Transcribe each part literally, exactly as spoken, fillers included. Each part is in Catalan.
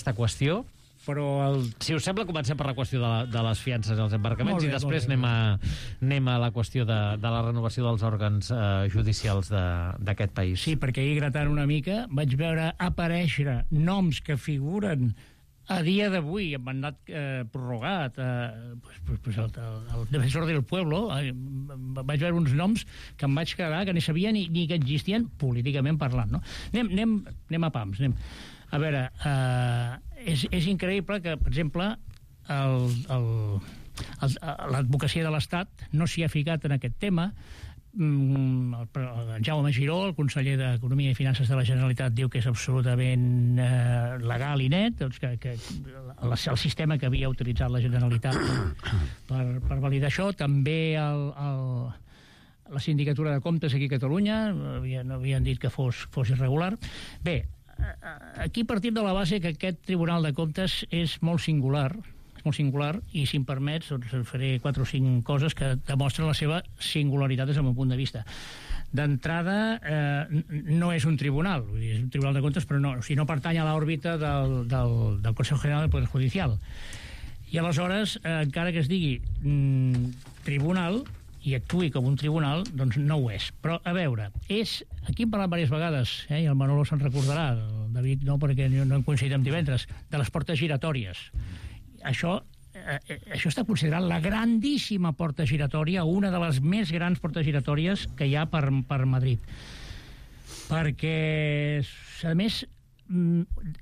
aquesta qüestió, però el... si us sembla, comencem per la qüestió de, la, de les fiances i els embarcaments bé, i després anem a, anem a la qüestió de, de la renovació dels òrgans eh, judicials d'aquest país. Sí, perquè ahir, gratant una mica, vaig veure aparèixer noms que figuren a dia d'avui, amb mandat eh, prorrogat, eh, pues, pues, pues el, el, el defensor del pueblo, eh, vaig veure uns noms que em vaig quedar, que no sabia ni, ni que existien políticament parlant, no? Anem, anem, anem a pams, anem. A veure, eh, és, és increïble que, per exemple, l'advocacia de l'Estat no s'hi ha ficat en aquest tema. El, el Jaume Giró, el conseller d'Economia i Finances de la Generalitat, diu que és absolutament eh, legal i net, doncs que, que el, el sistema que havia utilitzat la Generalitat per, per validar això. També el, el, la Sindicatura de Comptes aquí a Catalunya havien, havien dit que fos, fos irregular. Bé, aquí partim de la base que aquest Tribunal de Comptes és molt singular, és molt singular, i si em permets doncs faré quatre o cinc coses que demostren la seva singularitat des del meu punt de vista. D'entrada, eh, no és un tribunal, vull dir, és un Tribunal de Comptes, però no, o sigui, no pertany a l'òrbita del, del, del Consejo General del Poder Judicial. I aleshores, eh, encara que es digui mm, tribunal, i actuï com un tribunal, doncs no ho és. Però, a veure, és... Aquí hem parlat diverses vegades, eh, i el Manolo se'n recordarà, el David no, perquè no hem coincidit amb divendres, de les portes giratòries. Això, eh, això està considerat la grandíssima porta giratòria, una de les més grans portes giratòries que hi ha per, per Madrid. Perquè, a més,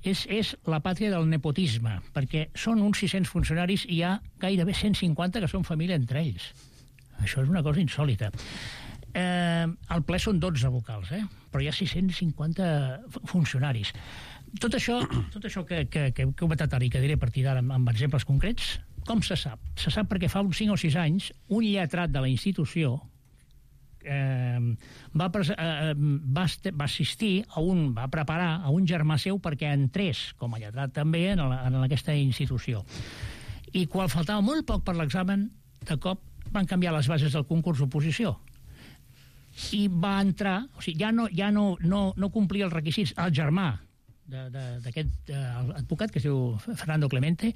és, és la pàtria del nepotisme, perquè són uns sis-cents funcionaris i hi ha gairebé cent cinquanta que són família entre ells. Això és una cosa insòlita. Eh, al ple són dotze vocals, eh? Però hi ha sis-cents cinquanta funcionaris. Tot això, tot això que, que, que he comentat ara i que diré a partir d'ara amb, amb exemples concrets, com se sap? Se sap perquè fa uns cinc o sis anys un lletrat de la institució eh, va, eh, va, va assistir a un, va preparar a un germà seu perquè entrés com a lletrat també en, la, en aquesta institució. I quan faltava molt poc per l'examen, de cop van canviar les bases del concurs d'oposició i va entrar, o sigui, ja no, ja no, no, no complia els requisits, el germà d'aquest advocat que es diu Fernando Clemente,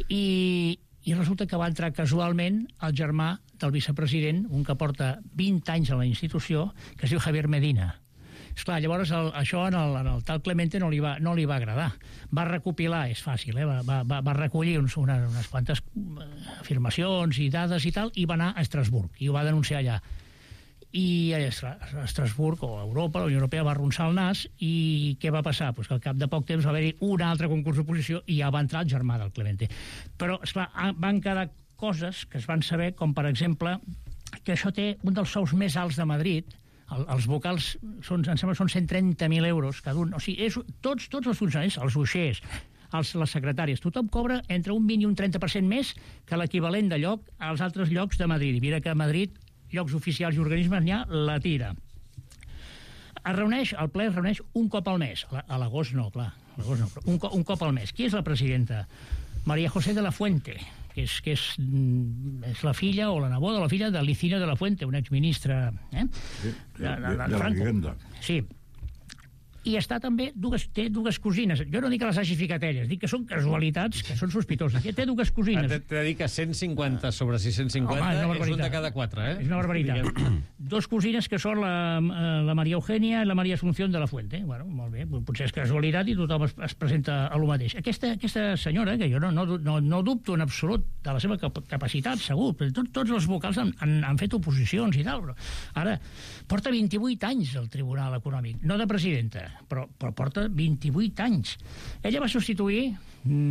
i, i resulta que va entrar casualment el germà del vicepresident, un que porta vint anys a la institució, que es diu Javier Medina. Esclar, llavors el, això en el, en el tal Clemente no li, va, no li va agradar. Va recopilar, és fàcil, eh? va, va, va recollir uns, una, unes quantes afirmacions i dades i tal, i va anar a Estrasburg, i ho va denunciar allà. I a Estrasburg, o a Europa, la Unió Europea va arronsar el nas, i què va passar? Pues que al cap de poc temps va haver-hi un altre concurs d'oposició i ja va entrar el germà del Clemente. Però, esclar, van quedar coses que es van saber, com per exemple que això té un dels sous més alts de Madrid. El, els vocals són, em sembla, són cent trenta mil euros cada un. O sigui, és, tots, tots els funcionaris, els uixers, els, les secretàries, tothom cobra entre un vint i un trenta per cent més que l'equivalent de lloc als altres llocs de Madrid. I mira que a Madrid, llocs oficials i organismes, n'hi ha la tira. Es reuneix, el ple es reuneix un cop al mes. A l'agost no, clar, a l'agost no, però un, un cop al mes. Qui és la presidenta? María José de la Fuente, que és, que és, és la filla o la neboda o la filla de Licinio de la Fuente, un exministre eh? Sí, de, de, de, de, de la Vivenda. Sí. I està també, dues, té dues cosines. Jo no dic que les hagi ficat elles, dic que són casualitats, que són sospitoses. Té dues cosines. T'he de dir que cent cinquanta sobre sis cents cinquanta Home, és, és un de cada quatre, eh? És una barbaritat. Dos cosines que són la, la Maria Eugenia i la Maria Asunción de la Fuente. Bueno, molt bé, potser és casualitat i tothom es, es presenta a lo mateix. Aquesta, aquesta senyora, que jo no, no, no, no dubto en absolut de la seva capacitat, segur, però tot, tots els vocals han, han, han fet oposicions i tal, però ara porta vint-i-vuit anys al Tribunal Econòmic, no de presidenta, però, però porta vint-i-vuit anys. Ella va substituir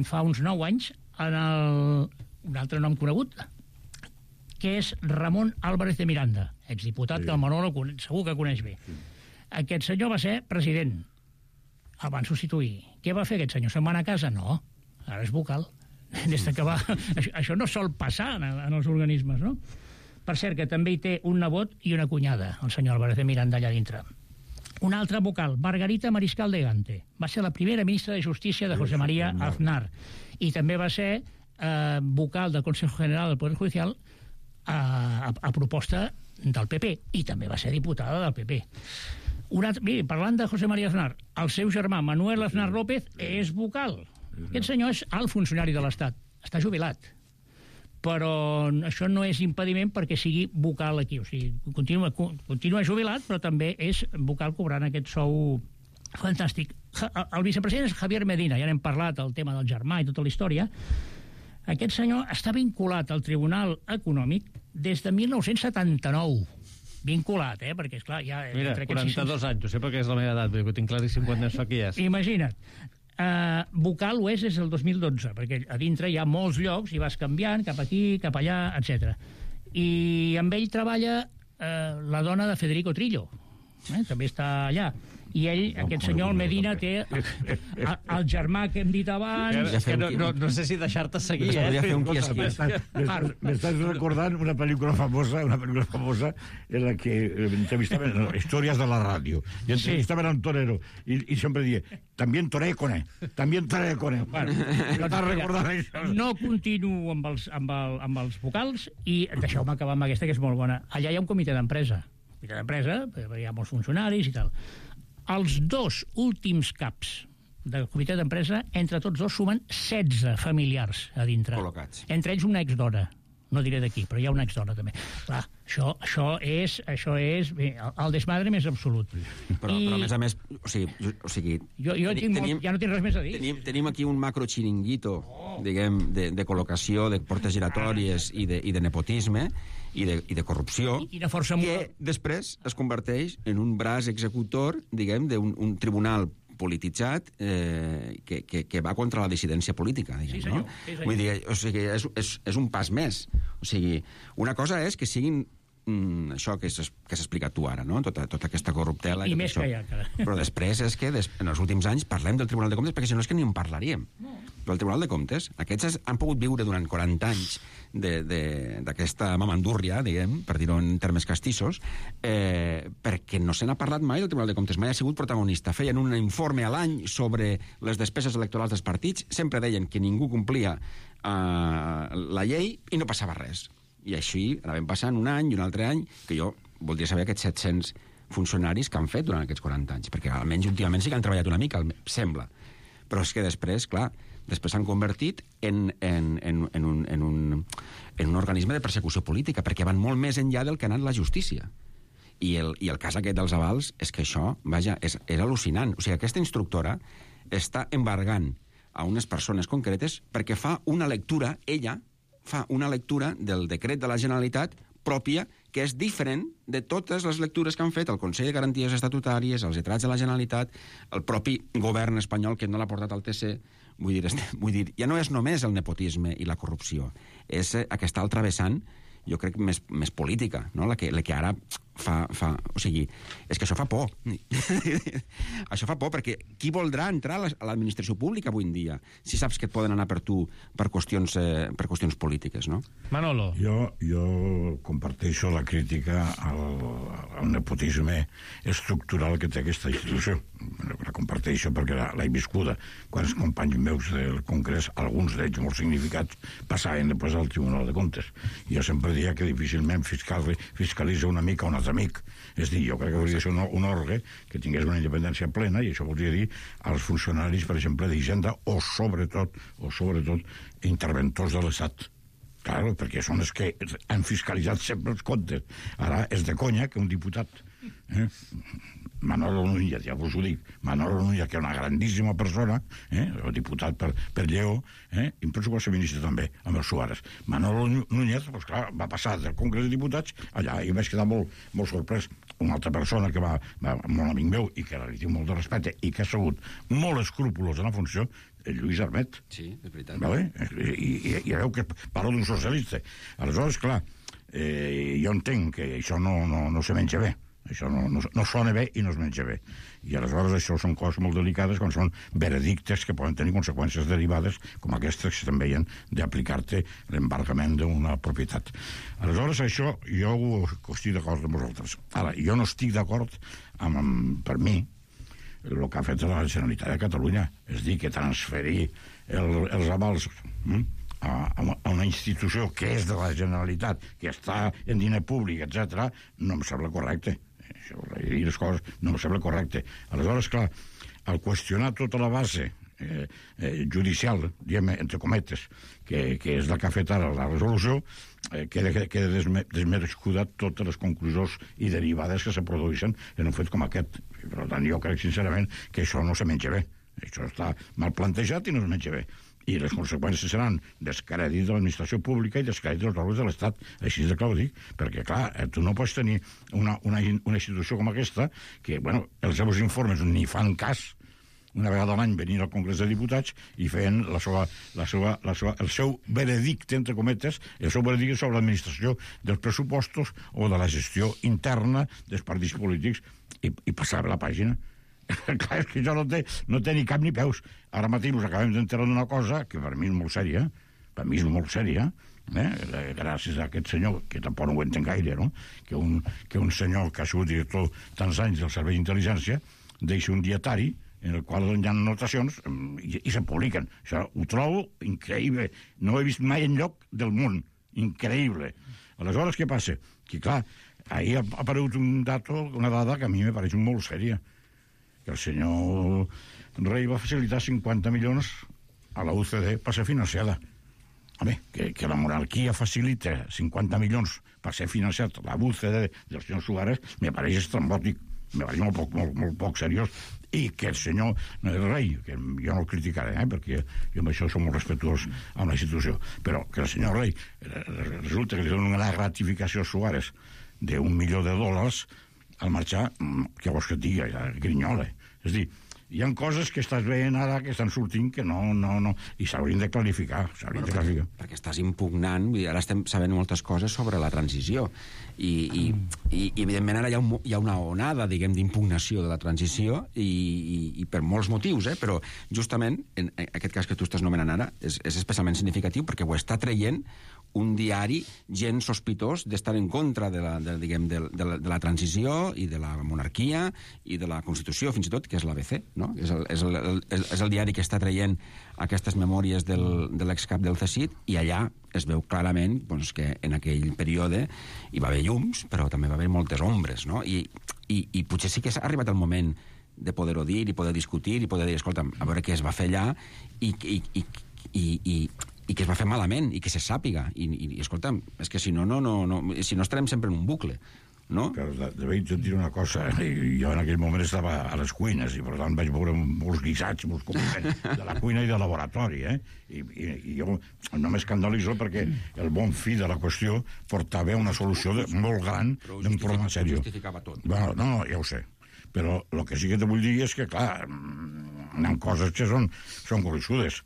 fa uns nou anys en el, un altre nom conegut, que és Ramon Álvarez de Miranda, exdiputat, sí, que el Manolo segur que coneix bé. Sí. Aquest senyor va ser president. El van substituir. Què va fer aquest senyor? Se'n va anar a casa? No, ara és vocal. Des que va... això, això no sol passar en, en els organismes, no? Per cert, que també hi té un nebot i una cunyada, el senyor Álvarez de Miranda, allà dintre. Un altre vocal, Margarita Mariscal de Gante. Va ser la primera ministra de Justícia de José María Aznar. I també va ser eh, vocal del Consejo General del Poder Judicial a, a, a proposta del P P. I també va ser diputada del P P. Un altre, miri, parlant de José María Aznar, el seu germà Manuel Aznar López és vocal Aquest senyor és alt funcionari de l'Estat. Està jubilat. Però això no és impediment perquè sigui vocal aquí. O sigui, continua, continua jubilat, però també és vocal cobrant aquest sou fantàstic. El vicepresident és Javier Medina, ja n'hem parlat, el tema del germà i tota la història. Aquest senyor està vinculat al Tribunal Econòmic des de mil nou-cents setanta-nou. Vinculat, eh? Perquè, esclar, ja... Mira, quaranta-dos anys, ho sé perquè és la meva edat, ho tinc claríssim quan no sé qui és. Imagina't. Uh, vocal ho és des del dos mil dotze, perquè a dintre hi ha molts llocs i vas canviant cap aquí, cap allà, etcètera. I amb ell treballa uh, la dona de Federico Trillo, eh? També està allà. I ell, no, aquest senyor, el Medina, té el, el germà que hem dit abans... Que no, no, no sé si deixar-te seguir, eh? Podria fer un quiesqui. M'estàs recordant una pel·lícula famosa, una pel·lícula famosa en la que entrevistaven, no, històries de la ràdio, i entrevistaven a un torero, i, i sempre dia, també toré con él, també toré con él. Bueno, t'has recordat això? No continuo amb els, amb, el, amb els vocals, i deixeu-me acabar amb aquesta, que és molt bona. Allà hi ha un comitè d'empresa. Comitè d'empresa, hi ha molts funcionaris i tal. Els dos últims caps del comitè d'empresa, entre tots dos, sumen setze familiars a dintre. Col·locats. Entre ells una exdona. No diré d'aquí, però hi ha una exdona també. Clar, això, això és, això és bé, el desmadre més absolut. Però, I... però a més a més, o sigui... O sigui jo jo tenim, tinc molt, ja no tinc res més a dir. Tenim, tenim aquí un macro xiringuito, oh. diguem, de, de col·locació, de portes giratòries i de, i de nepotisme i de, i de corrupció, I, i de força que després es converteix en un braç executor, diguem, d'un un tribunal polititzat eh, que, que, que va contra la dissidència política, diguem, sí, senyor, no? Sí, senyor. Vull dir, o sigui, és, és, és un pas més. O sigui, una cosa és que siguin mm, això que s'ha explicat tu ara, no? Tota, tota aquesta corruptela... I, i i més això. que hi ha, encara. Però després és que des, en els últims anys parlem del Tribunal de Comptes, perquè si no és que ni en parlaríem. No. Però el Tribunal de Comptes, aquests han pogut viure durant quaranta anys d'aquesta mamandúrria, diguem, per dir-ho en termes castissos, eh, perquè no se n'ha parlat mai del Tribunal de Comptes, mai ha sigut protagonista. Feien un informe a l'any sobre les despeses electorals dels partits, sempre deien que ningú complia eh, la llei i no passava res. I així anaven passant un any i un altre any, que jo voldria saber aquests set-cents funcionaris que han fet durant aquests quaranta anys, perquè almenys últimament sí que han treballat una mica, sembla. Però és que després, clar, després s'han convertit en, en, en, en, un, en, un, en un organisme de persecució política, perquè van molt més enllà del que ha anat la justícia. I el, i el cas aquest dels avals és que això, vaja, és, és al·lucinant. O sigui, aquesta instructora està embargant a unes persones concretes perquè fa una lectura, ella fa una lectura del decret de la Generalitat pròpia, que és diferent de totes les lectures que han fet el Consell de Garanties Estatutàries, els lletrats de la Generalitat, el propi govern espanyol que no l'ha portat al T C. Vull dir, vull dir, ja no és només el nepotisme i la corrupció, és aquesta altra vessant, jo crec, més, més política, no? la, que, la que ara fa, fa... O sigui, és que això fa por. Això fa por, perquè qui voldrà entrar a l'administració pública avui en dia si saps que et poden anar per tu per qüestions, eh, per qüestions polítiques, no? Manolo. Jo, jo comparteixo la crítica al, al nepotisme estructural que té aquesta institució. La comparteixo perquè l'he viscuda. Quan els companys meus del Congrés, alguns d'ells molt significats, passaven després al Tribunal de Comptes. Jo sempre diria que difícilment fiscal, fiscalitza una mica un altre amic. És dir, jo crec que hauria de ser un, un òrgan que tingués una independència plena, i això voldria dir als funcionaris, per exemple, d'Hisenda, o sobretot, o sobretot, interventors de l'Estat. Claro, perquè són els que han fiscalitzat sempre els comptes. Ara és de conya que un diputat... Eh? Manolo Núñez, ja us ho dic, Manolo Núñez, que és una grandíssima persona, eh, el diputat per, per Lleó, eh, i penso que va ser ministre també, amb els Suárez. Manolo Núñez, pues, clar, va passar del Congrés de Diputats allà, i vaig quedar molt, molt sorprès. Una altra persona que va, va molt amic meu i que li tinc molt de respecte i que ha sigut molt escrupolós en la funció, el Lluís Armet. Sí, és veritat. Vale? I, i, i veu que parlo d'un socialista. Aleshores, clar, eh, jo entenc que això no, no, no se menja bé. Això no, no, no sona bé i no es menja bé. I aleshores això són coses molt delicades quan són veredictes que poden tenir conseqüències derivades com aquestes que també hi ha d'aplicar-te l'embargament d'una propietat. Aleshores això jo estic d'acord amb vosaltres. Ara, jo no estic d'acord amb, amb, per mi, el que ha fet la Generalitat de Catalunya, és dir, que transferir el, els avals hm, a, a una institució que és de la Generalitat, que està en diner públic, etcètera, no em sembla correcte. Això, dir les coses no em sembla correcte. Aleshores, clar, al qüestionar tota la base eh, eh, judicial, diguem, entre cometes, que, que és la que ha fet ara la resolució, eh, queda, queda desme, desmerescuda totes les conclusions i derivades que se produeixen en un fet com aquest. Per tant, jo crec sincerament que això no se menja bé. Això està mal plantejat i no es menja bé. I les conseqüències seran descrèdit de l'administració pública i descrèdit dels òrgans de l'Estat. Així de clar ho dic, perquè, clar, tu no pots tenir una, una, una institució com aquesta que, bueno, els seus informes ni fan cas, una vegada a l'any venir al Congrés de Diputats i feien la seva, la seva, la seva, el seu veredicte, entre cometes, el seu veredicte sobre l'administració dels pressupostos o de la gestió interna dels partits polítics i, i passar la pàgina. Clar, és que això no té, no té ni cap ni peus. Ara mateix us acabem d'enterar d'una cosa que per mi és molt sèria, per mi és molt sèria, eh? Gràcies a aquest senyor, que tampoc no ho entenc gaire, no? que, un, que un senyor que ha sigut director tants anys del Servei d'Intel·ligència deixa un dietari en el qual hi ha notacions i, i se publiquen. Això ho trobo increïble. No ho he vist mai enlloc del món. Increïble. Aleshores, què passa? Que, clar, ahir ha aparegut un dato, una dada que a mi me pareix molt sèria. Que el senyor Rey va facilitar cinquanta milions a la U C D per ser financiada. Home, que, que la monarquia facilita cinquanta milions per ser financiat la U C D del senyor Suárez me pareix estrambòtic, me pareix molt poc, molt, molt poc seriós, i que el senyor Rey, que jo no el criticaré, eh, perquè jo amb això som molt respectuós amb la institució, però que el senyor Rey resulta que li dona una gratificació a Suárez d'un milió de dòlars al marxar, que vols que et digui, grinyola. És a dir, hi ha coses que estàs veient ara que estan sortint que no, no, no, i s'haurien de clarificar, s'haurien de clarificar. Perquè, perquè estàs impugnant, vull dir, ara estem sabent moltes coses sobre la transició, i, i, i, i evidentment ara hi ha, un, hi ha una onada, diguem, d'impugnació de la transició, i, i, i per molts motius, eh? Però justament, en aquest cas que tu estàs nomenant ara, és, és especialment significatiu perquè ho està traient un diari gens sospitós d'estar en contra de la, de, diguem, de, de, la, de la transició i de la monarquia i de la Constitució, fins i tot, que és l'A B C, no? És el, és el, el, és el diari que està traient aquestes memòries del, de l'excap del C S I D, i allà es veu clarament doncs, que en aquell període hi va haver llums, però també va haver moltes ombres, no? I, i, i potser sí que s'ha arribat el moment de poder-ho dir, i poder discutir, i poder dir, escolta, a veure què es va fer allà, i, i, i, i, i i que es va fer malament, i que se sàpiga. I, i, i escolta'm, és que si no, no, no, no, si no estarem sempre en un bucle, no? Però de, de veig, et diré una cosa, jo en aquell moment estava a les cuines, i per tant vaig veure molts guisats, molts compliments de la cuina i del laboratori, eh? I, i, i jo no m'escandalitzo perquè el bon fi de la qüestió portava una solució de, molt gran d'un problema seriós. Justificava tot. Bueno, no, no, ja ho sé. Però el que sí que te vull dir és que, clar, hi ha coses que són, són gruixudes.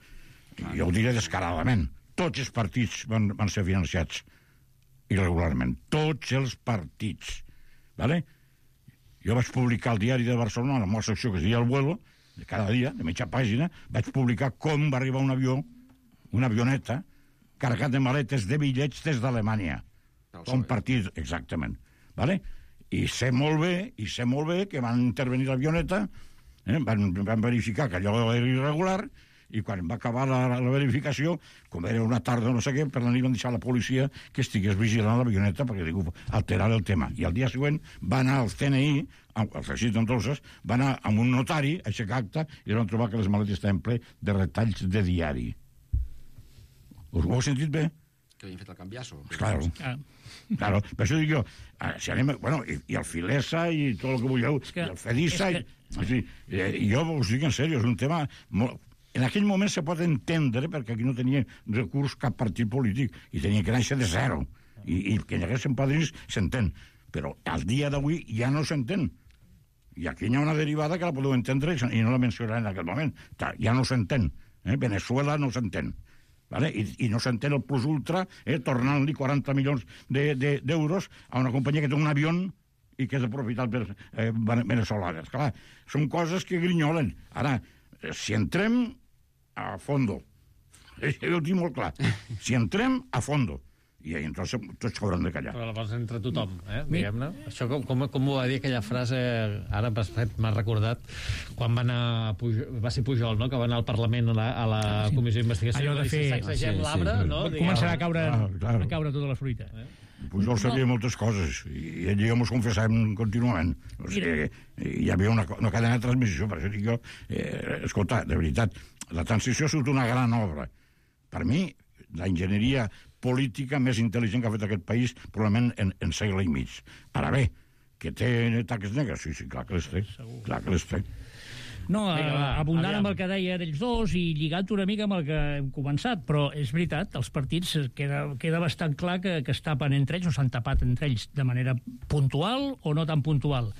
Jo ho diré descaradament. Tots els partits van, van ser financiats irregularment. Tots els partits. ¿Vale? Jo vaig publicar al diari de Barcelona, en la meva secció que es deia El Vuelo, de cada dia, de mitja pàgina, vaig publicar com va arribar un avió, una avioneta, carregat de maletes de bitllets des d'Alemanya. Un partit, exactament. ¿Vale? I sé molt bé, i sé molt bé que van intervenir l'avioneta, eh? van, van verificar que allò era irregular, i quan va acabar la, la verificació, com era una tarda no sé què, per la nit van deixar la policia que estigués vigilant l'avioneta perquè diu, alterar el tema. I al dia següent va anar al C N I, al C S I D entonces, va anar amb un notari a aixecar acta i van trobar que les maletes estaven ple de retalls de diari. Us ho heu sentit bé? Que havien fet el canviasso. Claro. Ah. Claro, per això dic jo, si anem, bueno, i, i el Filesa i tot el que vulgueu, que, i el Fedisa, que... i, o sigui, eh, jo us dic en sèrio, és un tema molt... En aquell moment se pot entendre perquè aquí no tenia recurs cap partit polític i tenia que néixer de zero. I, i que hi haguessin padrins s'entén. Però al dia d'avui ja no s'entén. I aquí hi ha una derivada que la podeu entendre i no la mencionaré en aquell moment. Ja no s'entén. Eh? Venezuela no s'entén. Vale? I, i no s'entén el plus ultra, eh? Tornant-li quaranta milions d'euros de, de, a una companyia que té un avió i que és de propietat eh, venezolana. Clar, són coses que grinyolen. Ara, si entrem a fondo, jo ho tinc molt clar, si entrem a fondo, i entonces tots hauran de callar. Però llavors entre tothom, eh, diguem-ne. Això com, com, com ho va dir aquella frase, ara m'ha recordat, quan va anar Pujol, va ser Pujol, no?, que va anar al Parlament a la, a la sí. Comissió d'investigació. Allò de fer... Sacsegem sí, l'arbre, sí. no? Començarà a caure, ah, claro. a caure tota la fruita. Eh? Pujol sabia no. moltes coses, i ell i jo mos confessàvem contínuament. O sigui, hi havia una, una cadena de transmissió, per això dic jo, eh, escolta, de veritat, la transició ha sigut una gran obra. Per mi, la enginyeria política més intel·ligent que ha fet aquest país, probablement en, en segle i mig. Ara bé, que té taques negres? Sí, sí, clar que les té. Clar que les té. No, Vinga, va, abundant aviam. amb el que deien ells dos i lligat una mica amb el que hem començat, però és veritat, els partits queda, queda bastant clar que, que es tapen entre ells o s'han tapat entre ells de manera puntual o no tan puntual.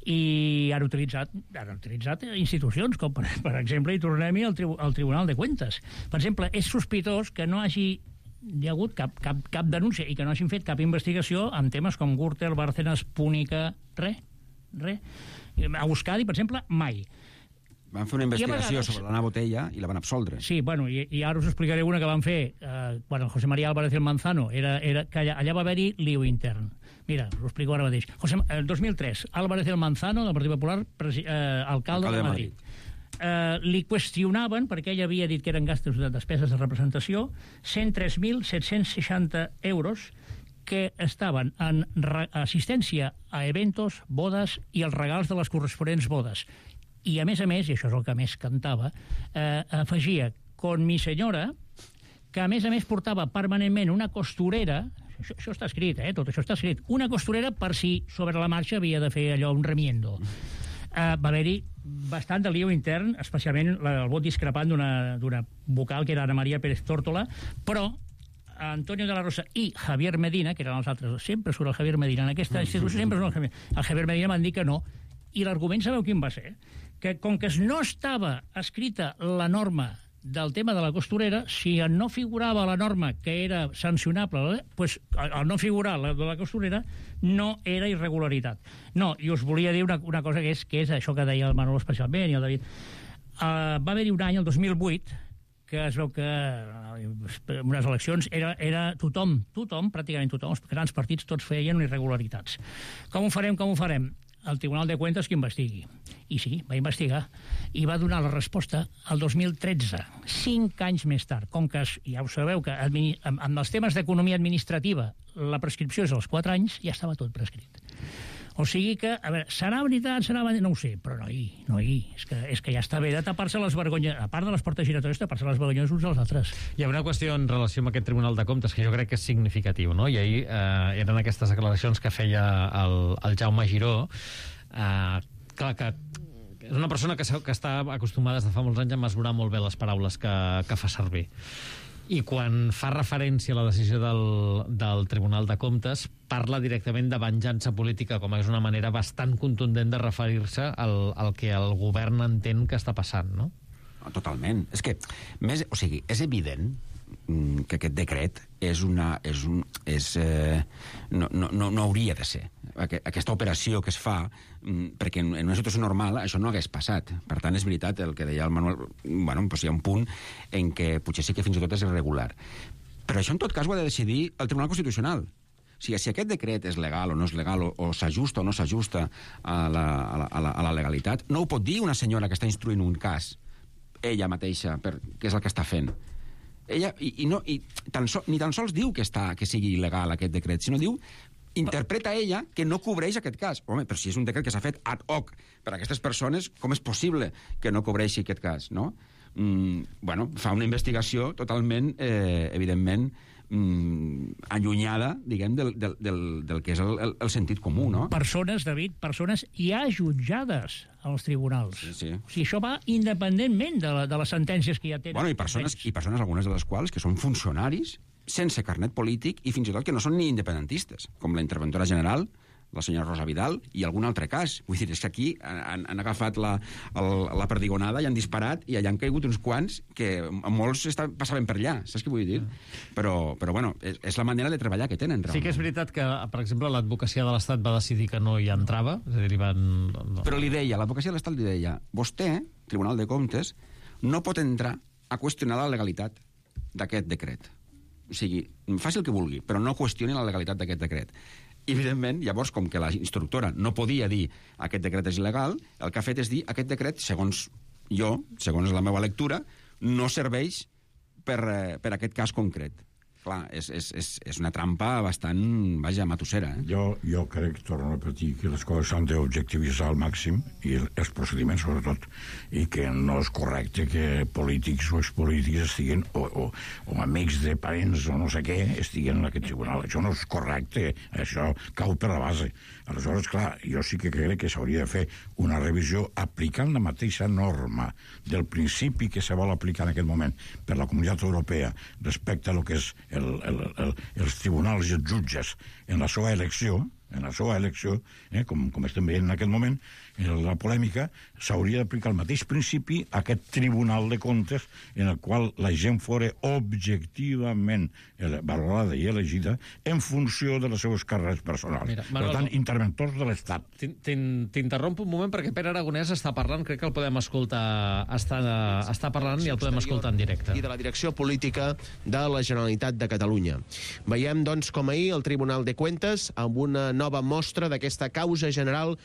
I han utilitzat, han utilitzat institucions, com per, per exemple, i tornem-hi al, tribu, al Tribunal de Cuentas. Per exemple, és sospitós que no hagi hi ha hagut cap, cap, cap denúncia i que no hagin fet cap investigació en temes com Gürtel, Bárcenas, Púnica, res, res. A Euskadi, per exemple, mai. Van fer una investigació vegades... sobre l'Anna Botella i la van absoldre. Sí, bueno, i, i ara us explicaré una que van fer eh, quan el José María Álvarez del Manzano era, era que allà, allà va haver-hi lío intern. Mira, us ho explico ara mateix. José, el dos mil tres, Álvarez del Manzano, del Partit Popular, presi, eh, alcalde, alcalde de Madrid. De Madrid. Eh, li qüestionaven, perquè ell havia dit que eren gastos de despeses de representació, cent tres mil set-cents seixanta euros que estaven en assistència a eventos, bodes i els regals de les corresponents bodes. I, a més a més, i això és el que més cantava, eh, afegia con mi senyora, que a més a més portava permanentment una costurera, això, això està escrit, eh, tot això està escrit, una costurera per si sobre la marxa havia de fer allò, un remiendo. Eh, va haver-hi bastant de lío intern, especialment el vot discrepant d'una vocal que era Ana María Pérez Tórtola, però Antonio de la Rosa i Javier Medina, que eren els altres, sempre surt el Javier Medina, en aquesta institució sempre surt el Javier Medina. El Javier Medina van dir que no, i l'argument sabeu quin va ser? Que com que no estava escrita la norma del tema de la costurera, si no figurava la norma que era sancionable, pues, al no figurar la de la costurera no era irregularitat. No, i us volia dir una, una cosa que és, que és això que deia el Manolo especialment i el David. Uh, va haver-hi un any, el dos mil vuit, que es veu que en unes eleccions era, era tothom, tothom, pràcticament tothom, els grans partits tots feien irregularitats. Com ho farem, com ho farem? El Tribunal de Cuentas que investigui. I sí, va investigar i va donar la resposta al dos mil tretze, cinc anys més tard. Com que, ja ho sabeu, que amb, amb els temes d'economia administrativa la prescripció és als quatre anys, ja estava tot prescrit. O sigui que, a veure, serà veritat, serà veritat, no ho sé, però no hi, no hi. És que, és que ja està bé de tapar-se les vergonyes, a part de les portes giratòries, tapar-se les vergonyes uns als altres. Hi ha una qüestió en relació amb aquest Tribunal de Comptes que jo crec que és significatiu, no? I ahir eh, eren aquestes declaracions que feia el, el Jaume Giró, eh, clar que és una persona que, que està acostumada des de fa molts anys a mesurar molt bé les paraules que, que fa servir. I quan fa referència a la decisió del, del Tribunal de Comptes, parla directament de venjança política, com és una manera bastant contundent de referir-se al, al que el govern entén que està passant, no? Totalment. És que, més, o sigui, és evident que aquest decret és una... És un, és, eh, no, no, no hauria de ser. Aquesta operació que es fa, perquè en una situació normal això no hagués passat. Per tant, és veritat el que deia el Manuel. Bueno, doncs hi ha un punt en què potser sí que fins i tot és irregular. Però això en tot cas ho ha de decidir el Tribunal Constitucional. O sigui, si aquest decret és legal o no és legal, o, o s'ajusta o no s'ajusta a, la, a, la, a, la, a la legalitat, no ho pot dir una senyora que està instruint un cas, ella mateixa, per, què és el que està fent. Ella, i, i no, i tan so, ni tan sols diu que, està, que sigui il·legal aquest decret, sinó diu, interpreta ella que no cobreix aquest cas. Home, però si és un decret que s'ha fet ad hoc per a aquestes persones, com és possible que no cobreixi aquest cas, no? Mm, bueno, fa una investigació totalment, eh, evidentment, mm, allunyada, diguem, del, del, del, del que és el, el, el sentit comú, no? Persones, David, persones ja jutjades als tribunals. Sí, sí. O sigui, això va independentment de, la, de les sentències que ja tenen. Bueno, i persones, i persones, algunes de les quals, que són funcionaris, sense carnet polític, i fins i tot que no són ni independentistes, com la interventora general, la senyora Rosa Vidal, i algun altre cas. Vull dir, és que aquí han, han agafat la, el, la perdigonada i han disparat, i allà han caigut uns quants que molts està, passaven per allà, saps què vull dir? Però, però bueno, és, és la manera de treballar que tenen, realment. Sí que és veritat que, per exemple, l'advocacia de l'Estat va decidir que no hi entrava, és a dir, van... No. Però li deia, l'advocacia de l'Estat li deia, vostè, Tribunal de Comptes, no pot entrar a qüestionar la legalitat d'aquest decret. O sigui, faci el que vulgui, però no qüestioni la legalitat d'aquest decret. I, evidentment, llavors, com que la instructora no podia dir aquest decret és il·legal, el que ha fet és dir aquest decret, segons jo, segons la meva lectura, no serveix per, per aquest cas concret. clar, és, és, és, és una trampa bastant, vaja, matossera. Eh? Jo, jo crec, torno a repetir, que les coses s'han d'objectivitzar al màxim, i els procediments sobretot, i que no és correcte que polítics o expolítics estiguin, o, o, o amics de parents o no sé què, estiguen en aquest tribunal. Això no és correcte, això cau per la base. Aleshores, clar, jo sí que crec que s'hauria de fer una revisió aplicant la mateixa norma del principi que se vol aplicar en aquest moment per la Comunitat Europea respecte a lo que és el, el, el, els tribunals i els jutges en la seva elecció, en la seva elecció, eh, com, com estem veient en aquest moment, en la polèmica, s'hauria d'aplicar el mateix principi a aquest Tribunal de Comptes en el qual la gent fora objectivament valorada i elegida en funció de les seves carreres personals. Mira, Manuel, per tant, interventors de l'Estat. T'interrompo un moment perquè Pere Aragonès està parlant, crec que el podem escoltar, està, està parlant i el podem escoltar en directe. I de la direcció política de la Generalitat de Catalunya. Veiem, doncs, com ahir el Tribunal de Cuentas, amb una nova mostra d'aquesta causa general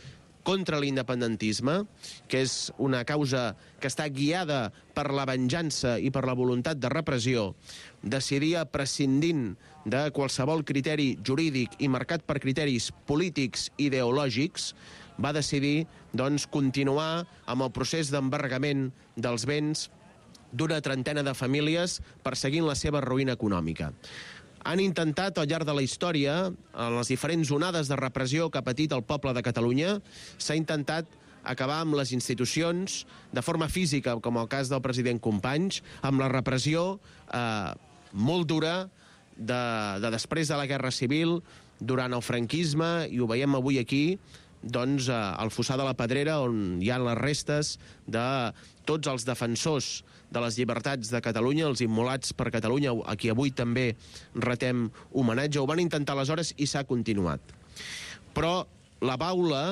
contra l'independentisme, que és una causa que està guiada per la venjança i per la voluntat de repressió, decidia prescindint de qualsevol criteri jurídic i marcat per criteris polítics ideològics, va decidir, doncs, continuar amb el procés d'embargament dels béns d'una trentena de famílies perseguint la seva ruïna econòmica. Han intentat, al llarg de la història, en les diferents onades de repressió que ha patit el poble de Catalunya, s'ha intentat acabar amb les institucions de forma física, com el cas del president Companys, amb la repressió eh, molt dura de, de després de la Guerra Civil, durant el franquisme, i ho veiem avui aquí, doncs, eh, al Fossar de la Pedrera, on hi ha les restes de tots els defensors de les llibertats de Catalunya, els immolats per Catalunya, a qui avui també retem homenatge. Ho van intentar aleshores i s'ha continuat. Però la baula,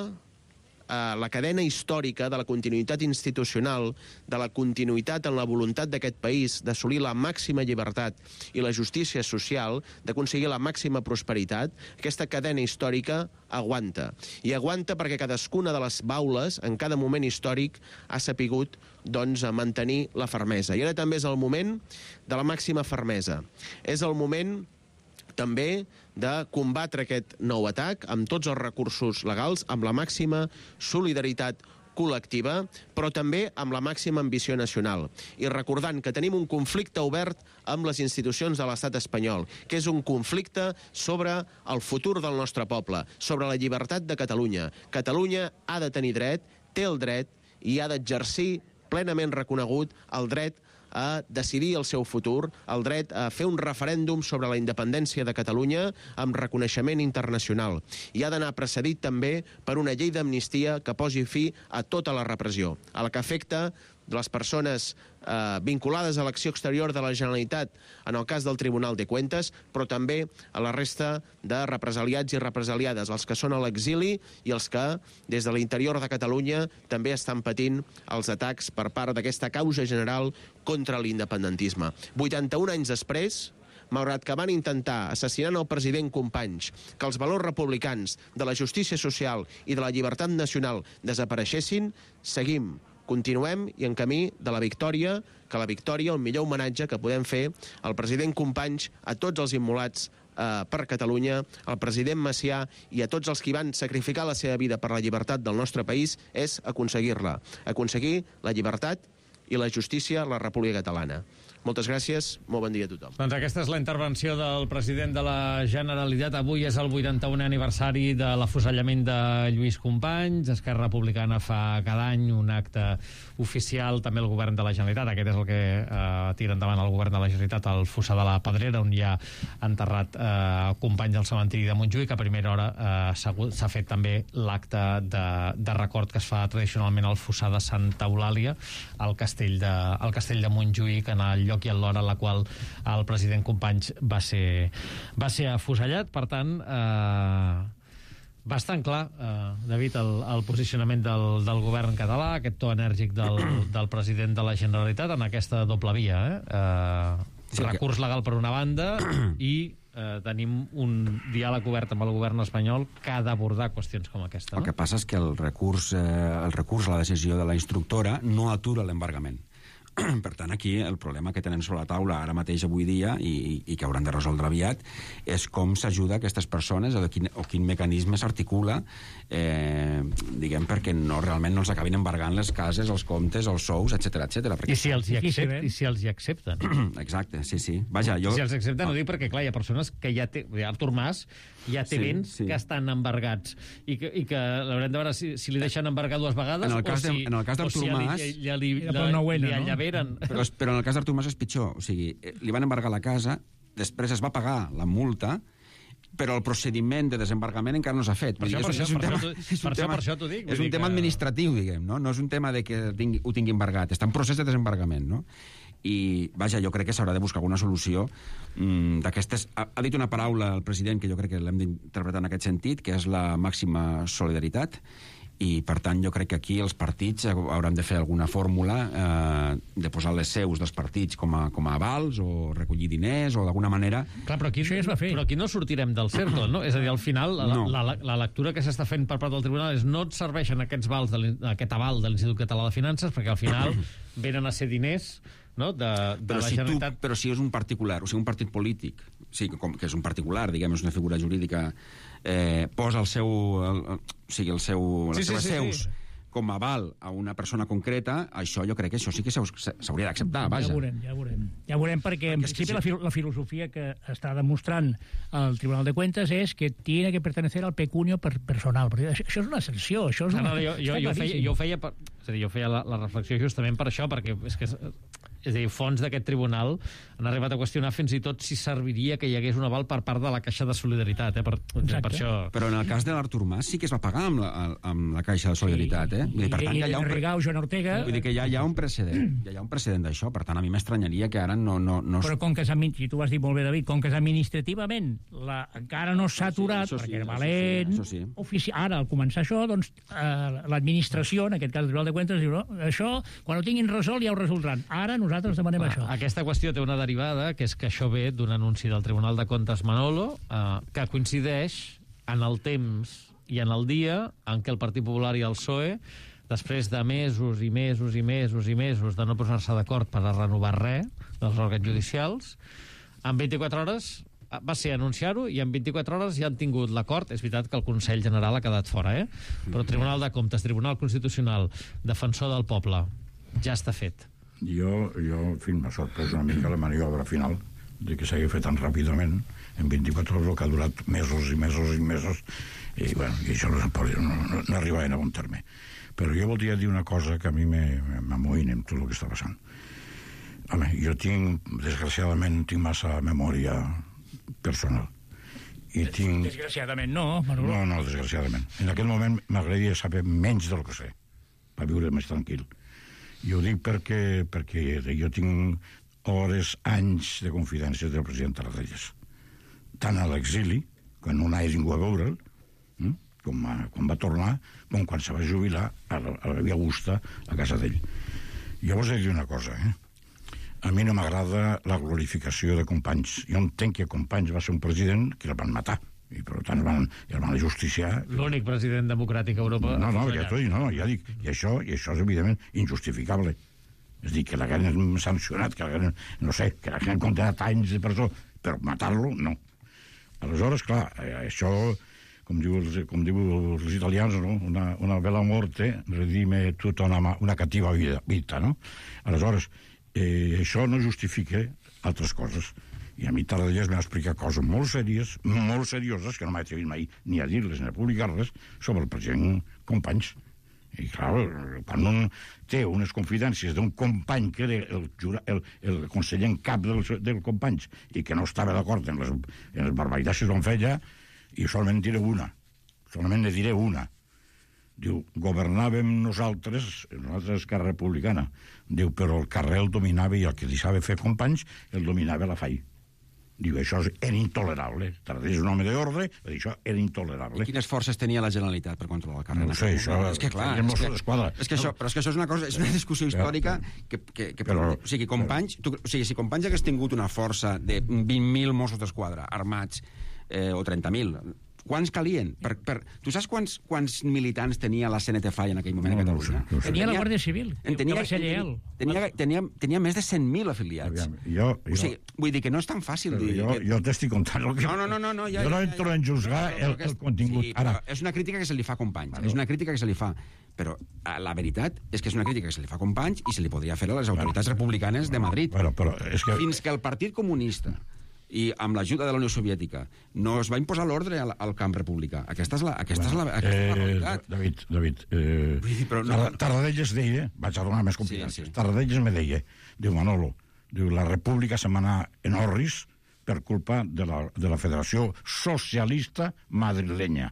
eh, la cadena històrica de la continuïtat institucional, de la continuïtat en la voluntat d'aquest país d'assolir la màxima llibertat i la justícia social, d'aconseguir la màxima prosperitat, aquesta cadena històrica aguanta. I aguanta perquè cadascuna de les baules, en cada moment històric, ha sapigut, doncs, a mantenir la fermesa. I ara també és el moment de la màxima fermesa. És el moment també de combatre aquest nou atac amb tots els recursos legals, amb la màxima solidaritat col·lectiva, però també amb la màxima ambició nacional. I recordant que tenim un conflicte obert amb les institucions de l'estat espanyol, que és un conflicte sobre el futur del nostre poble, sobre la llibertat de Catalunya. Catalunya ha de tenir dret, té el dret i ha d'exercir plenament reconegut el dret a decidir el seu futur, el dret a fer un referèndum sobre la independència de Catalunya amb reconeixement internacional. I ha d'anar precedit també per una llei d'amnistia que posi fi a tota la repressió, a la que afecta les persones eh, vinculades a l'acció exterior de la Generalitat en el cas del Tribunal de Cuentas, però també a la resta de represaliats i represaliades, els que són a l'exili i els que, des de l'interior de Catalunya, també estan patint els atacs per part d'aquesta causa general contra l'independentisme. vuitanta-un anys després, malgrat que van intentar, assassinant el president Companys, que els valors republicans de la justícia social i de la llibertat nacional desapareixessin, seguim, continuem i en camí de la victòria, que la victòria, el millor homenatge que podem fer al president Companys, a tots els immolats eh, per Catalunya, al president Macià i a tots els que van sacrificar la seva vida per la llibertat del nostre país, és aconseguir-la. Aconseguir la llibertat i la justícia a la República Catalana. Moltes gràcies, molt bon dia a tothom. Doncs aquesta és la intervenció del president de la Generalitat. Avui és el vuitanta-unè aniversari de l'afusellament de Lluís Companys. Esquerra Republicana fa cada any un acte oficial, també el govern de la Generalitat. Aquest és el que eh, tira endavant el govern de la Generalitat, al Fossar de la Pedrera, on hi ha enterrat eh, Companys al cementiri de Montjuïc. A primera hora eh, s'ha fet també l'acte de, de record que es fa tradicionalment al Fossar de Santa Eulàlia, al castell de, al castell de Montjuïc, en el lloc i en l'hora en la qual el president Companys va ser, va ser afusellat. Per tant, eh, bastant clar, eh, David, el, el posicionament del, del govern català, aquest to enèrgic del, del president de la Generalitat en aquesta doble via. Eh? Eh, sí, recurs legal per una banda i eh, tenim un diàleg obert amb el govern espanyol que ha d'abordar qüestions com aquesta. No? El que passa és que el recurs, eh, el recurs a la decisió de la instructora no atura l'embargament. Per tant, aquí el problema que tenen sobre la taula ara mateix avui dia i, i que hauran de resoldre aviat és com s'ajuda aquestes persones o, quin, o quin mecanisme s'articula eh, diguem, perquè no, realment no els acabin embargant les cases, els comptes, els sous, etcètera, etcètera. I si els hi accepten. I si els hi accepten. Exacte, sí, sí. Vaja, jo... Si els accepten, no dic perquè, clar, hi ha persones que ja té... Artur Mas ja té sí, béns sí. que estan embargats i que, i que l'haurem de veure si, si li deixen embargar dues vegades en el cas o si, de, en el cas o si ja li, ja li, ja li, li allaveren. No? Però, però en el cas d'Artur Mas és pitjor. O sigui, li van embargar la casa, després es va pagar la multa, però el procediment de desembargament encara no s'ha fet. Per això, per això, per això, per això t'ho dic. És un tema administratiu, diguem, no? No és un tema de que tingui, ho tingui embargat. Està en procés de desembargament, no? I, vaja, jo crec que s'haurà de buscar alguna solució mmm, d'aquestes... Ha, ha dit una paraula el president que jo crec que l'hem d'interpretar en aquest sentit, que és la màxima solidaritat, i, per tant, jo crec que aquí els partits hauran de fer alguna fórmula eh, de posar les seus dels partits com a, com a avals o recollir diners o d'alguna manera... Clar, però aquí, això ja es va fer. Però aquí no sortirem del cercle, no? És a dir, al final, la, no. la, la, la lectura que s'està fent per part del tribunal és no et serveixen aquests vals de aquest aval de l'Institut Català de Finances perquè al final venen a ser diners, no? de, de però la si Generalitat... Tu, però si és un particular, o sigui, un partit polític, sí, com, que és un particular, diguem, és una figura jurídica, eh, posa el seu... El, el, o sigui, el seu, les sí, seves sí, sí, seus sí. com a aval a una persona concreta, això jo crec que això sí que s'hauria d'acceptar, vaja. Ja veurem, ja veurem. Ja veurem perquè, en principi, la, la filosofia que està demostrant el Tribunal de Cuentas és que tiene que pertenecer al pecunio per personal. Perquè això, això és una sanció, això és una... No, no, jo, jo, jo, feia, jo feia, per, és a dir, jo feia la, la reflexió justament per això, perquè és que... És a dir, fons d'aquest tribunal han arribat a qüestionar fins i tot si serviria que hi hagués un aval per part de la Caixa de Solidaritat. Eh? Per, per això... Però en el cas de l'Artur Mas sí que es va pagar amb la, amb la Caixa de Solidaritat. Eh? Vull dir, per tant, I, ja hi ha un, Rigau, Joan Ortega... Vull dir que ja hi ha un precedent. Ja hi ha un precedent d'això. Per tant, a mi m'estranyaria que ara no... no, no... Però com que és, si tu has dit molt bé, David, com que és administrativament la, encara no s'ha aturat, sí, perquè era valent... Sí, sí. Ofici... Ara, al començar això, doncs, eh, l'administració, en aquest cas el Tribunal de Cuentas, diu, no, això, quan ho tinguin resolt ja ho resoldran. Ara nosaltres demanem ah, això. Aquesta qüestió té una derivada, que és que això ve d'un anunci del Tribunal de Comptes Manolo, eh, que coincideix en el temps i en el dia en què el Partit Popular i el P S O E, després de mesos i mesos i mesos i mesos de no posar-se d'acord per a renovar res dels òrgans judicials, en vint-i-quatre hores va ser anunciar-ho i en vint-i-quatre hores ja han tingut l'acord. És veritat que el Consell General ha quedat fora, eh? Però Tribunal de Comptes, Tribunal Constitucional, Defensor del Poble, ja està fet. Jo, jo en fi, m'ha sorprès una mica la maniobra final de que s'hagi fet tan ràpidament en vint-i-quatre hores, que ha durat mesos i mesos i mesos i, bueno, i això no, no, no, no arribaven a bon terme. Però jo voldria dir una cosa que a mi m'amoïna amb tot el que està passant. Home, jo tinc, desgraciadament, tinc massa memòria personal. I tinc... Desgraciadament no, Manolo. No, no, desgraciadament. En aquest moment m'agradaria saber menys del que sé, per viure més tranquil. I ho dic perquè, perquè jo tinc hores, anys de confidència del president Tarradellas. Tant a l'exili, quan no anava ningú a veure'l, eh? com, a, quan va tornar, com quan se va jubilar a la, a la Via Augusta, a casa d'ell. Jo vos he de dir una cosa, eh? A mi no m'agrada la glorificació de Companys. Jo entenc que Companys va ser un president que el van matar, i per tant el van, el van justiciar. L'únic president democràtic a Europa. No, no, ja t'ho dic, no, ja dic, i això, i això és evidentment injustificable. És dir, que l'hagueren sancionat, que l'hagueren, no sé, que l'hagueren condenat a anys de presó, però matar-lo, no. Aleshores, clar, això, com diu, com diu els italians, no? una, una bella morte redime tota una, una cativa vida, vida, no? Aleshores, eh, això no justifica altres coses. I a mi Tarradellas m'ha explicat coses molt sèries, molt serioses, que no m'he atrevit mai ni a dir-les ni a publicar-les, sobre el president Companys. I, clar, quan un té unes confidències d'un company que era el, el, el conseller en cap del, del Companys i que no estava d'acord en les, en les barbaritats que es van fer allà, i solament diré una, solament ne diré una. Diu, governàvem nosaltres, nosaltres Esquerra Republicana. Diu, però el carrer el dominava i el que deixava fer Companys el dominava la F A I. Diu, això era intolerable. Tarradellas és un home d'ordre, això era intolerable. I quines forces tenia la Generalitat per controlar el carrer? No sé, això... És que, clar, és que, és que això, però és que això és una cosa, és una discussió històrica que, que, que però, o sigui, Companys, tu, o sigui, si Companys hagués tingut una força de vint mil Mossos d'Esquadra armats, eh, o trenta mil, Quants calien? Per, per... Tu saps quants, quants militants tenia la C N T F A I en aquell moment No, a no ho sé, Catalunya? no ho sé. Tenia la Guàrdia Civil, En que tenia, va ser lleial. tenia, tenia, tenia més de cent mil afiliats. Aviam, jo, jo, O sigui, vull dir que no és tan fàcil dir... jo, que... jo t'estic contant el que... No, no, no, no, no, ja, jo no ja, entro ja. en juzgar No, no, el, no, el contingut. Sí, Ara, és una crítica que se li fa a Companys. Bueno. És una crítica que se li fa. Però eh, la veritat és que és una crítica que se li fa a Companys i se li podria fer a les autoritats republicanes de Madrid. Però, però és que... Fins que el Partit Comunista i amb l'ajuda de la Unió Soviètica no es va imposar l'ordre al, al camp republicà. Aquesta és la, aquesta Bueno, és la, aquesta eh, és la realitat. David, David, eh, Vull dir, però no- Tar- Tarradellas deia, vaig a donar més competències, Sí, sí. Tarradellas me deia, diu Manolo, diu, la república se m'anà en orris per culpa de la, de la Federació Socialista Madrilenya.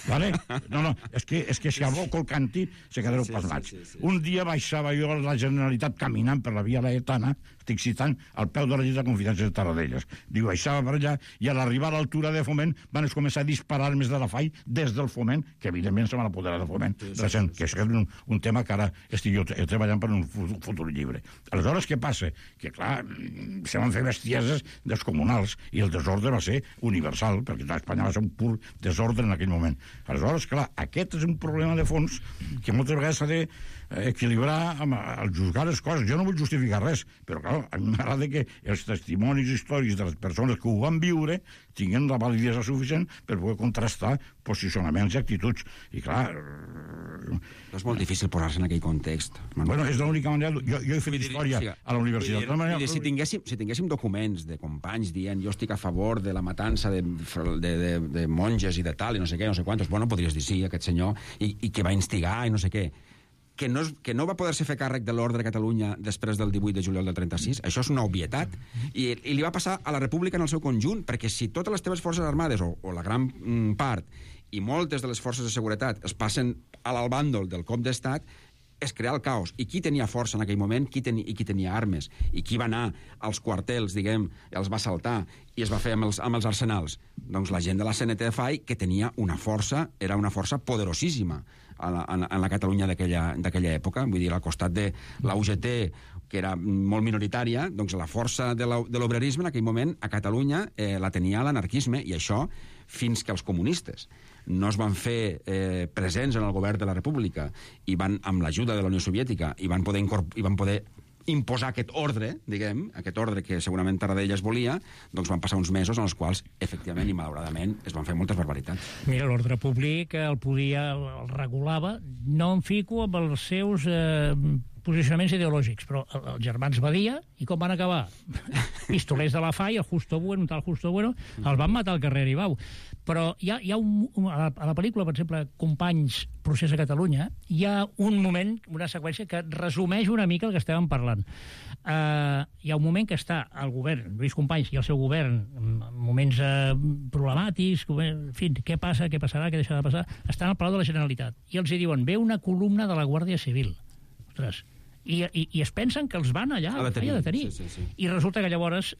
Vale? No, no, és que, és que si al bo Colcanti se quedareu Sí, pasmats. sí, sí, sí. Un dia baixava jo a la Generalitat caminant per la via Laetana, estic citant, al peu de la llista de confiança de Tarradellas. Diu, baixava per allà, i a l'arribar a l'altura de Foment van començar a disparar armes de la F A I des del Foment, que evidentment se van apoderar de Foment, sí, sí, recent, que és un, un tema que ara estic jo treballant per un fu- futur llibre. Aleshores, què passa? Que, clar, mm, se van fer bestieses descomunals, i el desordre va ser universal, perquè clar, Espanya va ser un pur desordre en aquell moment. Aleshores, clar, aquest és un problema de fons que moltes vegades s'ha de eh, equilibrar amb, al juzgar les coses. Jo no vull justificar res, però clar, a mi m'agrada que els testimonis històrics de les persones que ho van viure tinguin la validesa suficient per poder contrastar posicionaments i actituds. I clar... És molt difícil posar-se en aquell context. Bueno, és l'única manera... Jo, jo he fet història a la universitat. Vull dir, vull dir, si, tinguéssim, si tinguéssim documents de companys dient jo estic a favor de la matança de, de, de, de monges i de tal, i no sé què, no sé quantos, bueno, podries dir sí, aquest senyor, i, i que va instigar i no sé què. Que no, és, que no va poder-se fer càrrec de l'ordre a Catalunya després del divuit de juliol del trenta-sis, això és una obvietat, i, i li va passar a la República en el seu conjunt, perquè si totes les teves forces armades, o, o la gran mm, part, i moltes de les forces de seguretat es passen a l'albàndol del cop d'estat, és crear el caos. I qui tenia força en aquell moment qui teni, i qui tenia armes? I qui va anar als quartels, diguem, els va saltar i es va fer amb els, amb els arsenals? Doncs la gent de la C N T F A I, que tenia una força, era una força poderosíssima en la, en, en la Catalunya d'aquella època. Vull dir, al costat de la U G T, que era molt minoritària, doncs la força de l'obrerisme en aquell moment a Catalunya eh, la tenia l'anarquisme, i això fins que els comunistes no es van fer eh, presents en el govern de la República i van, amb l'ajuda de la Unió Soviètica, i van poder, i van poder imposar aquest ordre, diguem, aquest ordre que segurament Tarradellas volia, doncs van passar uns mesos en els quals, efectivament i malauradament, es van fer moltes barbaritats. Mira, l'ordre públic el podia, el regulava, no em fico amb els seus eh, posicionaments ideològics, però els germans Badia, i com van acabar? Pistolers de la F A I, el Justo Bueno, un tal Justo Bueno, els van matar al carrer Aribau. Però hi ha, hi ha un, a, la, a la pel·lícula, per exemple, Companys, Procés a Catalunya, hi ha un moment, una seqüència que resumeix una mica el que estàvem parlant. Uh, hi ha un moment que està el govern, Lluís Companys i el seu govern, en moments uh, problemàtics, en fi, què passa, què passarà, què deixarà de passar, estan al Palau de la Generalitat, i els hi diuen, ve una columna de la Guàrdia Civil. Ostres, I, i, i es pensen que els van allà a detenir. A detenir. Sí, sí, sí. I resulta que llavors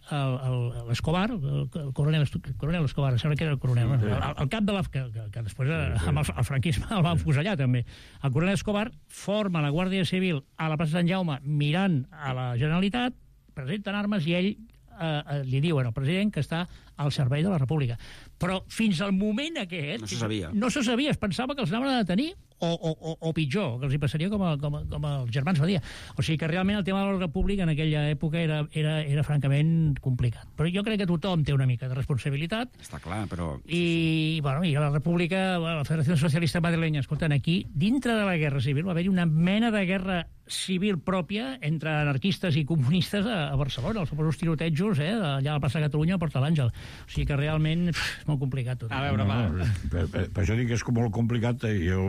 l'Escobar, el, el, coronel, el coronel Escobar, sembla que era el coronel, sí. el, el cap de la... que, que, que després sí, sí. amb el, el franquisme el van fusellar també. El coronel Escobar forma la Guàrdia Civil a la plaça Sant Jaume mirant a la Generalitat, presenten armes i ell eh, li diuen al president que està al servei de la República. Però fins al moment aquest... No se sabia. No se sabia, es pensava que els anaven a detenir o, o, o, o pitjor, que els hi passaria com, a, com, a, com als germans Badia. O sigui que realment el tema de l'ordre públic en aquella època era, era, era francament complicat. Però jo crec que tothom té una mica de responsabilitat. Està clar, però... I, bueno, i a la República, la Federació Socialista Madrilenya, escolten, aquí, dintre de la Guerra Civil, va haver-hi una mena de guerra civil pròpia entre anarquistes i comunistes a, a Barcelona, els famosos tirotejos, eh, allà a la plaça Catalunya, a Porta l'Àngel. O sigui que realment pff, és molt complicat tot. A veure, no, va. Per, per, per això dic que és com molt complicat. Jo,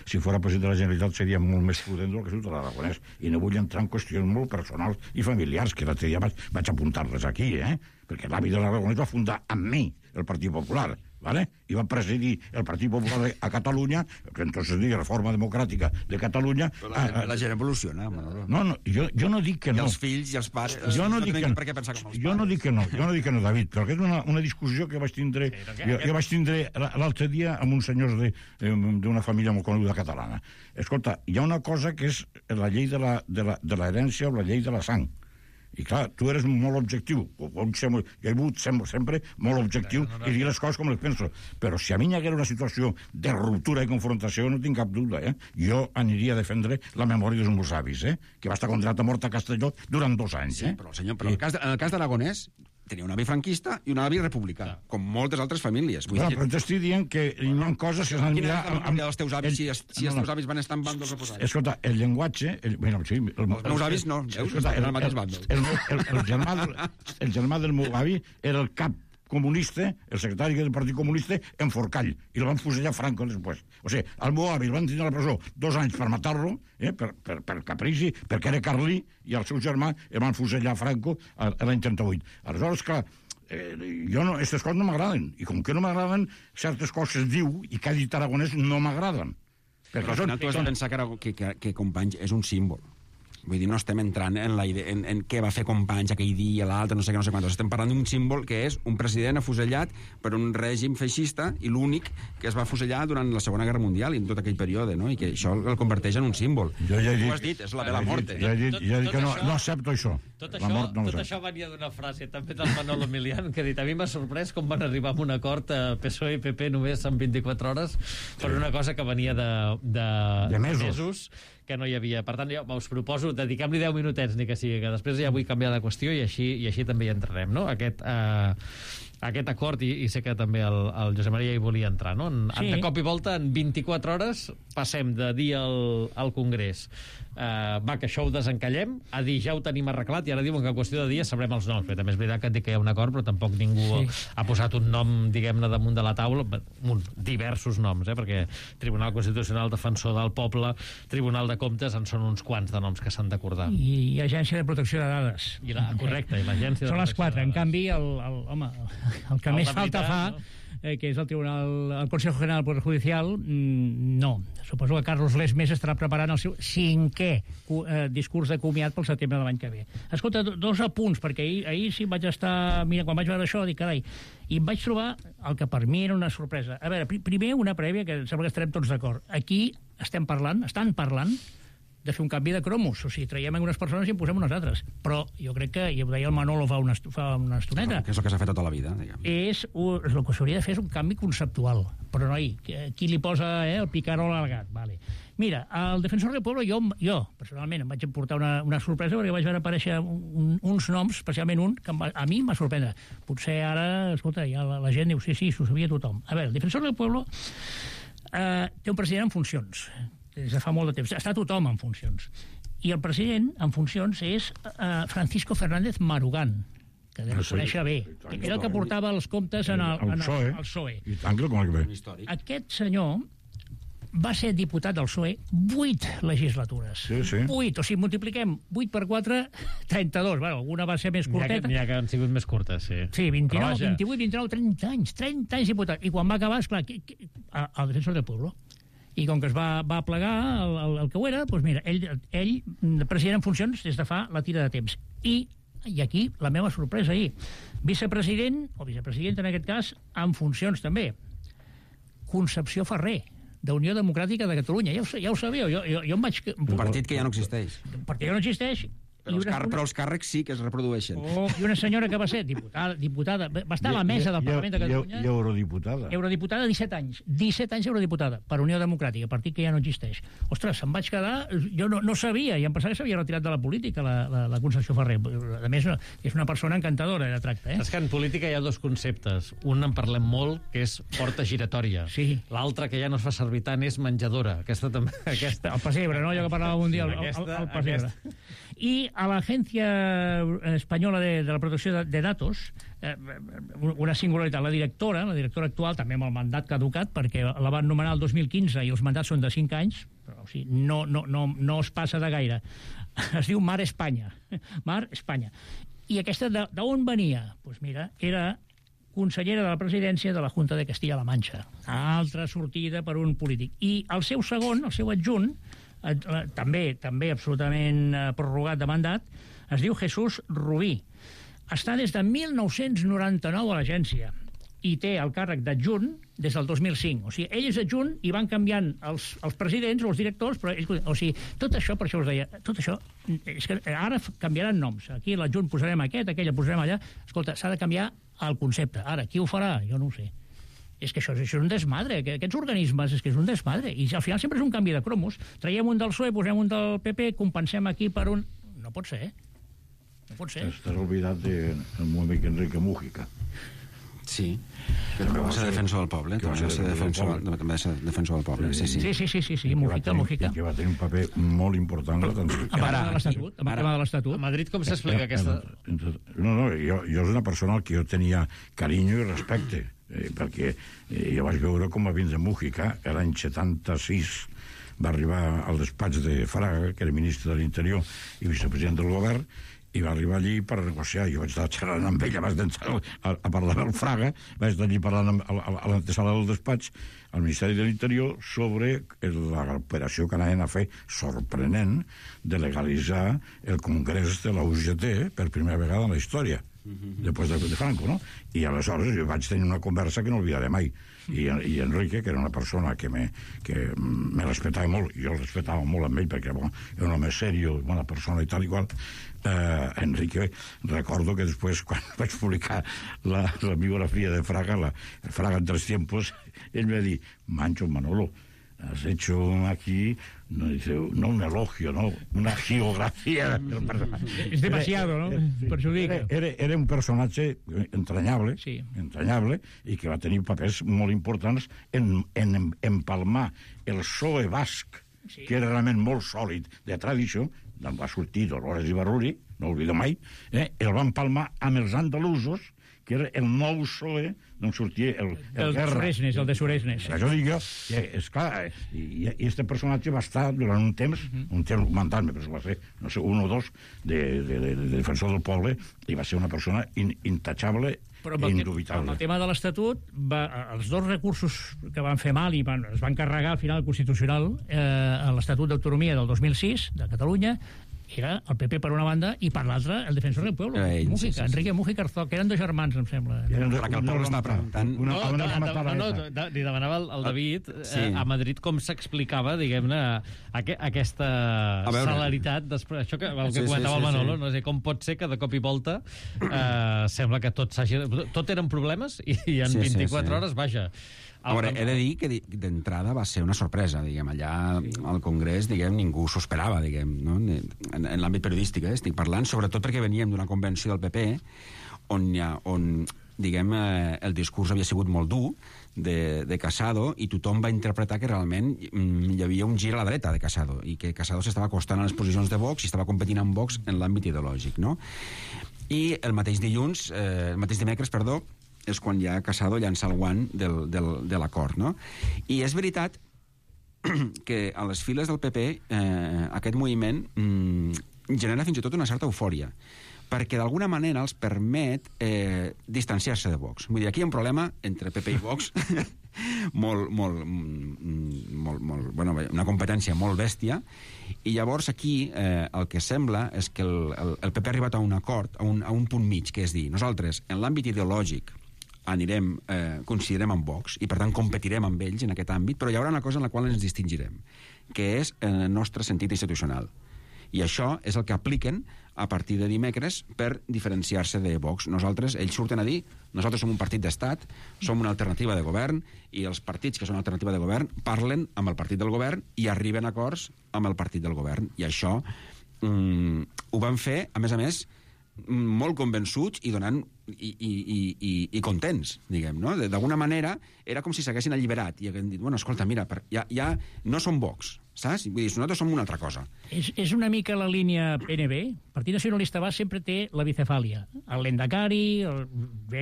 si fos president de la Generalitat, seria molt més prudent del que soc de l'Aragonès. I no vull entrar en qüestions molt personals i familiars, que l'altre dia vaig, vaig apuntar-les aquí, eh? Perquè l'avi de l'Aragonès va fundar amb mi el Partit Popular, ¿vale? I va presidir el Partit Popular a Catalunya, que entonces dic Reforma Democràtica de Catalunya. Però la, a, a, la gent evoluciona, Manolo. No, no, jo, jo no dic que no. I els fills i els pares... Jo no, dic que, per què pensar com els jo no dic que no, jo no dic que no, David, però aquesta és una, una discussió que vaig tindre, sí, jo, jo vaig tindre l'altre dia amb uns senyors d'una família molt coneguda catalana. Escolta, hi ha una cosa que és la llei de la, de la, de l'herència o la llei de la sang. I clar, tu eres molt objectiu. O, o, jo he volgut ser sempre molt objectiu no, no, no. i dir les coses com les penso. Però si a mi hi haguera una situació de ruptura i confrontació, no tinc cap dubte, eh? Jo aniria a defendre la memòria dels meus avis, eh? Que va estar condenat a mort a Castelló durant dos anys. Sí, eh? però, senyor, però I... en el cas, de, en el cas d'Aragonès tenia un avi franquista i un avi republicà, ja. com moltes altres famílies. Vull no, dir... però t'estic dient que hi ha coses que s'han de mirar... Quina és la memòria dels teus avis, el... si, si els teus avis van estar en bàndols oposats? Escolta, el llenguatge... El... Bueno, sí, el... Els meus avis no, veus? Escolta, eren el, al mateix bàndol. El, el, el, el, germà del, el germà del meu avi era el cap comunista, el secretari del Partit Comunista, en Forcall, i el van fusellar Franco després. O sigui, al meu avi el van tenir a la presó dos anys per matar-lo, eh, per, per, per caprici, perquè era carlí, i el seu germà el van fusellar Franco l'any trenta-vuit. Aleshores, clar, eh, jo no, aquestes coses no m'agraden, i com que no m'agraden, certes coses diu, i que ha dit Aragonès, no m'agraden. Però al final tu has de pensar que, que, que, que Companys és un símbol. Vull dir, no estem entrant en, la idea, en, en què va fer Companys aquell dia, l'altre, no sé què, no sé quantos. Estem parlant d'un símbol que és un president afusellat per un règim feixista i l'únic que es va afusellar durant la Segona Guerra Mundial i en tot aquell període, no? I que això el converteix en un símbol. Jo ja he dit, tu has dit, és la de la mort. Ja he dit, ja he dit que no, no accepto això. Tot això, mort no tot això venia d'una frase també del Manolo Milián, que ha dit, a mi m'ha sorprès com van arribar a un acord a P S O E i P P només en vint-i-quatre hores per una cosa que venia de, de, de mesos. mesos que no hi havia. Per tant, jo us proposo, dediquem-li deu minutets, ni que sigui, que després ja vull canviar de qüestió i així, i així també hi entrarem, no? Aquest, eh, aquest acord, i, i sé que també el, el Josep Maria hi volia entrar, no? En, sí. De cop i volta, en vint-i-quatre hores, passem de dir al, al Congrés eh, va, que això ho desencallem, a dir ja ho tenim arreglat, i ara diuen que en qüestió de dies sabrem els noms. Però també és veritat que et dic que hi ha un acord, però tampoc ningú sí. ha posat un nom, diguem-ne, damunt de la taula, un, diversos noms, eh? Perquè Tribunal Constitucional, Defensor del Poble, Tribunal de Comptes, en són uns quants de noms que s'han d'acordar. I, I Agència de Protecció de Dades. I la, correcte, i l'Agència de Són les quatre. En canvi, el, el, home, el que el més falta fa, no? eh, que és el Tribunal, el Consejo General del Poder Judicial, mm, no. Suposo que Carlos Lesmes estarà preparant el seu cinquè eh, discurs de comiat pel setembre de l'any que ve. Escolta, dos apunts, perquè ahir, ahir sí vaig estar... Mira, quan vaig veure això, dic, carai, i em vaig trobar el que per mi era una sorpresa. A veure, primer una prèvia, que sembla que estarem tots d'acord. Aquí estem parlant, estan parlant de fer un canvi de cromos, o sigui, traiem unes persones i en posem unes altres. Però jo crec que, i ho deia el Manolo fa una, fa una estoneta... Que és el que s'ha fet tota la vida, diguem. És, el que s'hauria de fer és un canvi conceptual. Però, noi, qui li posa eh, el picarol al gat? Vale. Mira, el Defensor del Pueblo, jo, jo personalment, em vaig portar una, una sorpresa perquè vaig veure aparèixer un, uns noms, especialment un, que va, a mi em va sorprendre. Potser ara, escolta, ja la, la gent diu, sí, sí, s'ho sabia tothom. A veure, el Defensor del Pueblo eh, té un president en funcions, des de fa molt de temps. Està tothom en funcions. I el president en funcions és uh, Francisco Fernández Marugán, que deu conèixer bé. Era el que portava els comptes en el, en el, el P S O E. I tant que el conec bé. Aquest senyor va ser diputat del P S O E vuit legislatures. Sí, sí. Vuit. O sigui, multipliquem vuit per quatre, trenta-dos. Bueno, alguna va ser més curteta. N'hi ha que han sigut més curtes, sí. Sí, vint-i-nou, vint-i-vuit, vint-i-nou, trenta anys. trenta anys diputat. I quan va acabar, esclar, el Defensor del Pueblo. I com que es va, va plegar el, el, el que ho era, doncs mira, ell, ell, president en funcions des de fa la tira de temps. I, i aquí la meva sorpresa ahir, vicepresident, o vicepresident en aquest cas, en funcions també, Concepció Ferrer, d'Unió Democràtica de Catalunya. Ja ho, ja ho sabeu, jo, jo, jo em vaig... Un partit que ja no existeix. Perquè ja no existeix. Però els, car però els càrrecs sí que es reprodueixen. Oh, I una senyora que va ser diputada, diputada va estar a la mesa del Parlament de Catalunya. I eurodiputada. Eurodiputada, disset anys. disset anys eurodiputada, per Unió Democràtica, partit que ja no existeix. Ostres, se'm vaig quedar... Jo no, no sabia, i em pensava que s'havia retirat de la política, la, la, la Concepció Ferrer. A més, és una persona encantadora de tracte, eh? És que en política hi ha dos conceptes. Un en parlem molt, que és porta giratòria. Sí. L'altre, que ja no es fa servir tant, és menjadora. Aquesta també... Aquesta... El pessebre, no? Allò que parlàvem un dia, el, el, el pessebre. I a l'Agència Espanyola de, de la Protecció de, de Datos, eh, una singularitat, la directora, la directora actual, també amb el mandat caducat, perquè la van nomenar el dos mil quinze i els mandats són de cinc anys, però o sigui, no, no, no, no es passa de gaire. Es diu Mar Espanya. Mar Espanya. I aquesta d'on venia? Doncs pues mira, era consellera de la presidència de la Junta de Castilla-La Mancha. Altra sortida per un polític. I el seu segon, el seu adjunt, també també absolutament prorrogat de mandat, es diu Jesús Rubí. Està des de mil nou-cents noranta-nou a l'agència. i té el càrrec d'adjunt des del dos mil cinc. O sigui, ell és adjunt i van canviant els, els presidents o els directors, però ell, o sigui, tot això, per això us deia, tot això, és que ara canviaran noms. Aquí l'adjunt posarem aquest, aquella posarem allà. Escolta, s'ha de canviar el concepte. Ara, qui ho farà? Jo no ho sé. És que això, això és un desmadre, que aquests organismes és que és un desmadre, i al final sempre és un canvi de cromos. Traiem un del P S O E, posem un del P P, compensem aquí per un... No pot ser, eh? No pot ser. Estàs oblidat del meu amic Enrique Mújica. Sí, però que va ser defensor del poble, que va ser defensor, també va ser defensor del poble, sí, sí. Sí, sí, sí, sí, sí, Mújica, Mújica. Que va tenir un paper molt important a l'atenció. Amb el tema de l'Estatut, amb el tema de l'Estatut. A Madrid com s'explica aquesta... No, no, jo, jo és una persona al que jo tenia carinyo i respecte, eh, perquè eh, jo vaig veure com a vins de Mújica, l'any setanta-sis, va arribar al despatx de Fraga, que era ministre de l'Interior i vicepresident del govern, i va arribar allí per negociar. Jo vaig estar xerrant amb ell abans d'entrar a, a parlar al Fraga, vaig estar allí parlant amb, a, a l'antesala del despatx al Ministeri de l'Interior sobre l'operació que anaven a fer sorprenent de legalitzar el Congrés de la U G T per primera vegada en la història, després de, de Franco, no? I aleshores jo vaig tenir una conversa que no oblidaré mai. I, i Enrique, que era una persona que me, que me respetava molt, i jo el respetava molt amb ell, perquè bon, era un home serio, bona persona i tal i qual. eh, Enrique, recordo que després, quan vaig publicar la, la biografia de Fraga, la Fraga en tres tiempos, ell me va dir, Mancho Manolo, has hecho aquí, no, dice, no un elogio, no, una geografía del personaje. Es demasiado, ¿no? Per això dic. Era, era, era un personatge entranyable, sí. entranyable, i que va tenir papers molt importants en, en empalmar el P S O E basc, sí. Que era realment molt sòlid de tradició, d'on va sortir Dolores Ibarruri, no oblido mai, eh? El van empalmar amb els andalusos, que era el nou P S O E, d'on sortia el, el, el Guerra. Suresnes, el de Suresnes. Això dic jo, i, és clar, i, i este personatge va estar durant un temps, uh -huh. un temps documentant, però va ser, no sé, un o dos, de, de, de, de defensor del poble, i va ser una persona in, intachable, però amb el, indubitable. amb el tema de l'Estatut, els dos recursos que van fer mal i van, es van carregar al final Constitucional eh, a l'Estatut d'Autonomia del dos mil sis de Catalunya, era el P P per una banda i per l'altra el defensor del pueblo, Ell, Mújica, sí, sí, sí. Enrique Mújica Arzó, que eren dos germans, em sembla. Eren Perquè el poble està preguntant... Una, No, una, no, una, no, no, no, no, li demanava al, al David Sí. eh, a Madrid com s'explicava, diguem-ne, aqu aquesta celeritat després, això que, el que Sí, sí, comentava sí, el Manolo, sí. no sé com pot ser que de cop i volta eh, sembla que tot s'hagi... Tot eren problemes i, i en Sí, sí, vint-i-quatre sí. hores, vaja... A veure, he de dir que d'entrada va ser una sorpresa, diguem, allà al Congrés, diguem, ningú s'ho esperava, diguem, no? En, en l'àmbit periodístic, eh, estic parlant, sobretot perquè veníem d'una convenció del P P on, ha, on diguem, eh, el discurs havia sigut molt dur de, de Casado, i tothom va interpretar que realment mm, hi havia un gir a la dreta de Casado, i que Casado s'estava acostant a les posicions de Vox i estava competint amb Vox en l'àmbit ideològic, no? I el mateix dilluns, eh, el mateix dimecres, perdó, és quan ja Casado llança el guant del, del, de l'acord, no? I és veritat que a les files del P P eh, aquest moviment mm, genera fins i tot una certa eufòria, perquè d'alguna manera els permet eh, distanciar-se de Vox. Vull dir, aquí hi ha un problema entre P P i Vox molt, molt, molt, molt, bueno, una competència molt bèstia, i llavors aquí eh, el que sembla és que el, el, el P P ha arribat a un acord, a un, a un punt mig, que és dir, nosaltres, en l'àmbit ideològic, anirem, eh, coincidirem amb Vox i per tant competirem amb ells en aquest àmbit, però hi haurà una cosa en la qual ens distingirem, que és en el nostre sentit institucional. I això és el que apliquen a partir de dimecres per diferenciar-se de Vox. Nosaltres, ells surten a dir, nosaltres som un partit d'estat, som una alternativa de govern, i els partits que són alternativa de govern parlen amb el partit del govern i arriben a acords amb el partit del govern. I això mm, ho van fer, a més a més, molt convençuts i donant i, i, i, i, i contents, diguem, no? D'alguna manera era com si s'haguessin alliberat i haguessin dit, bueno, escolta, mira, ja, ja no som Vox, saps? Vull dir, nosaltres som una altra cosa. És, és una mica la línia P N B. El Partit Nacionalista Basc sempre té la bicefàlia. El Lendakari, el,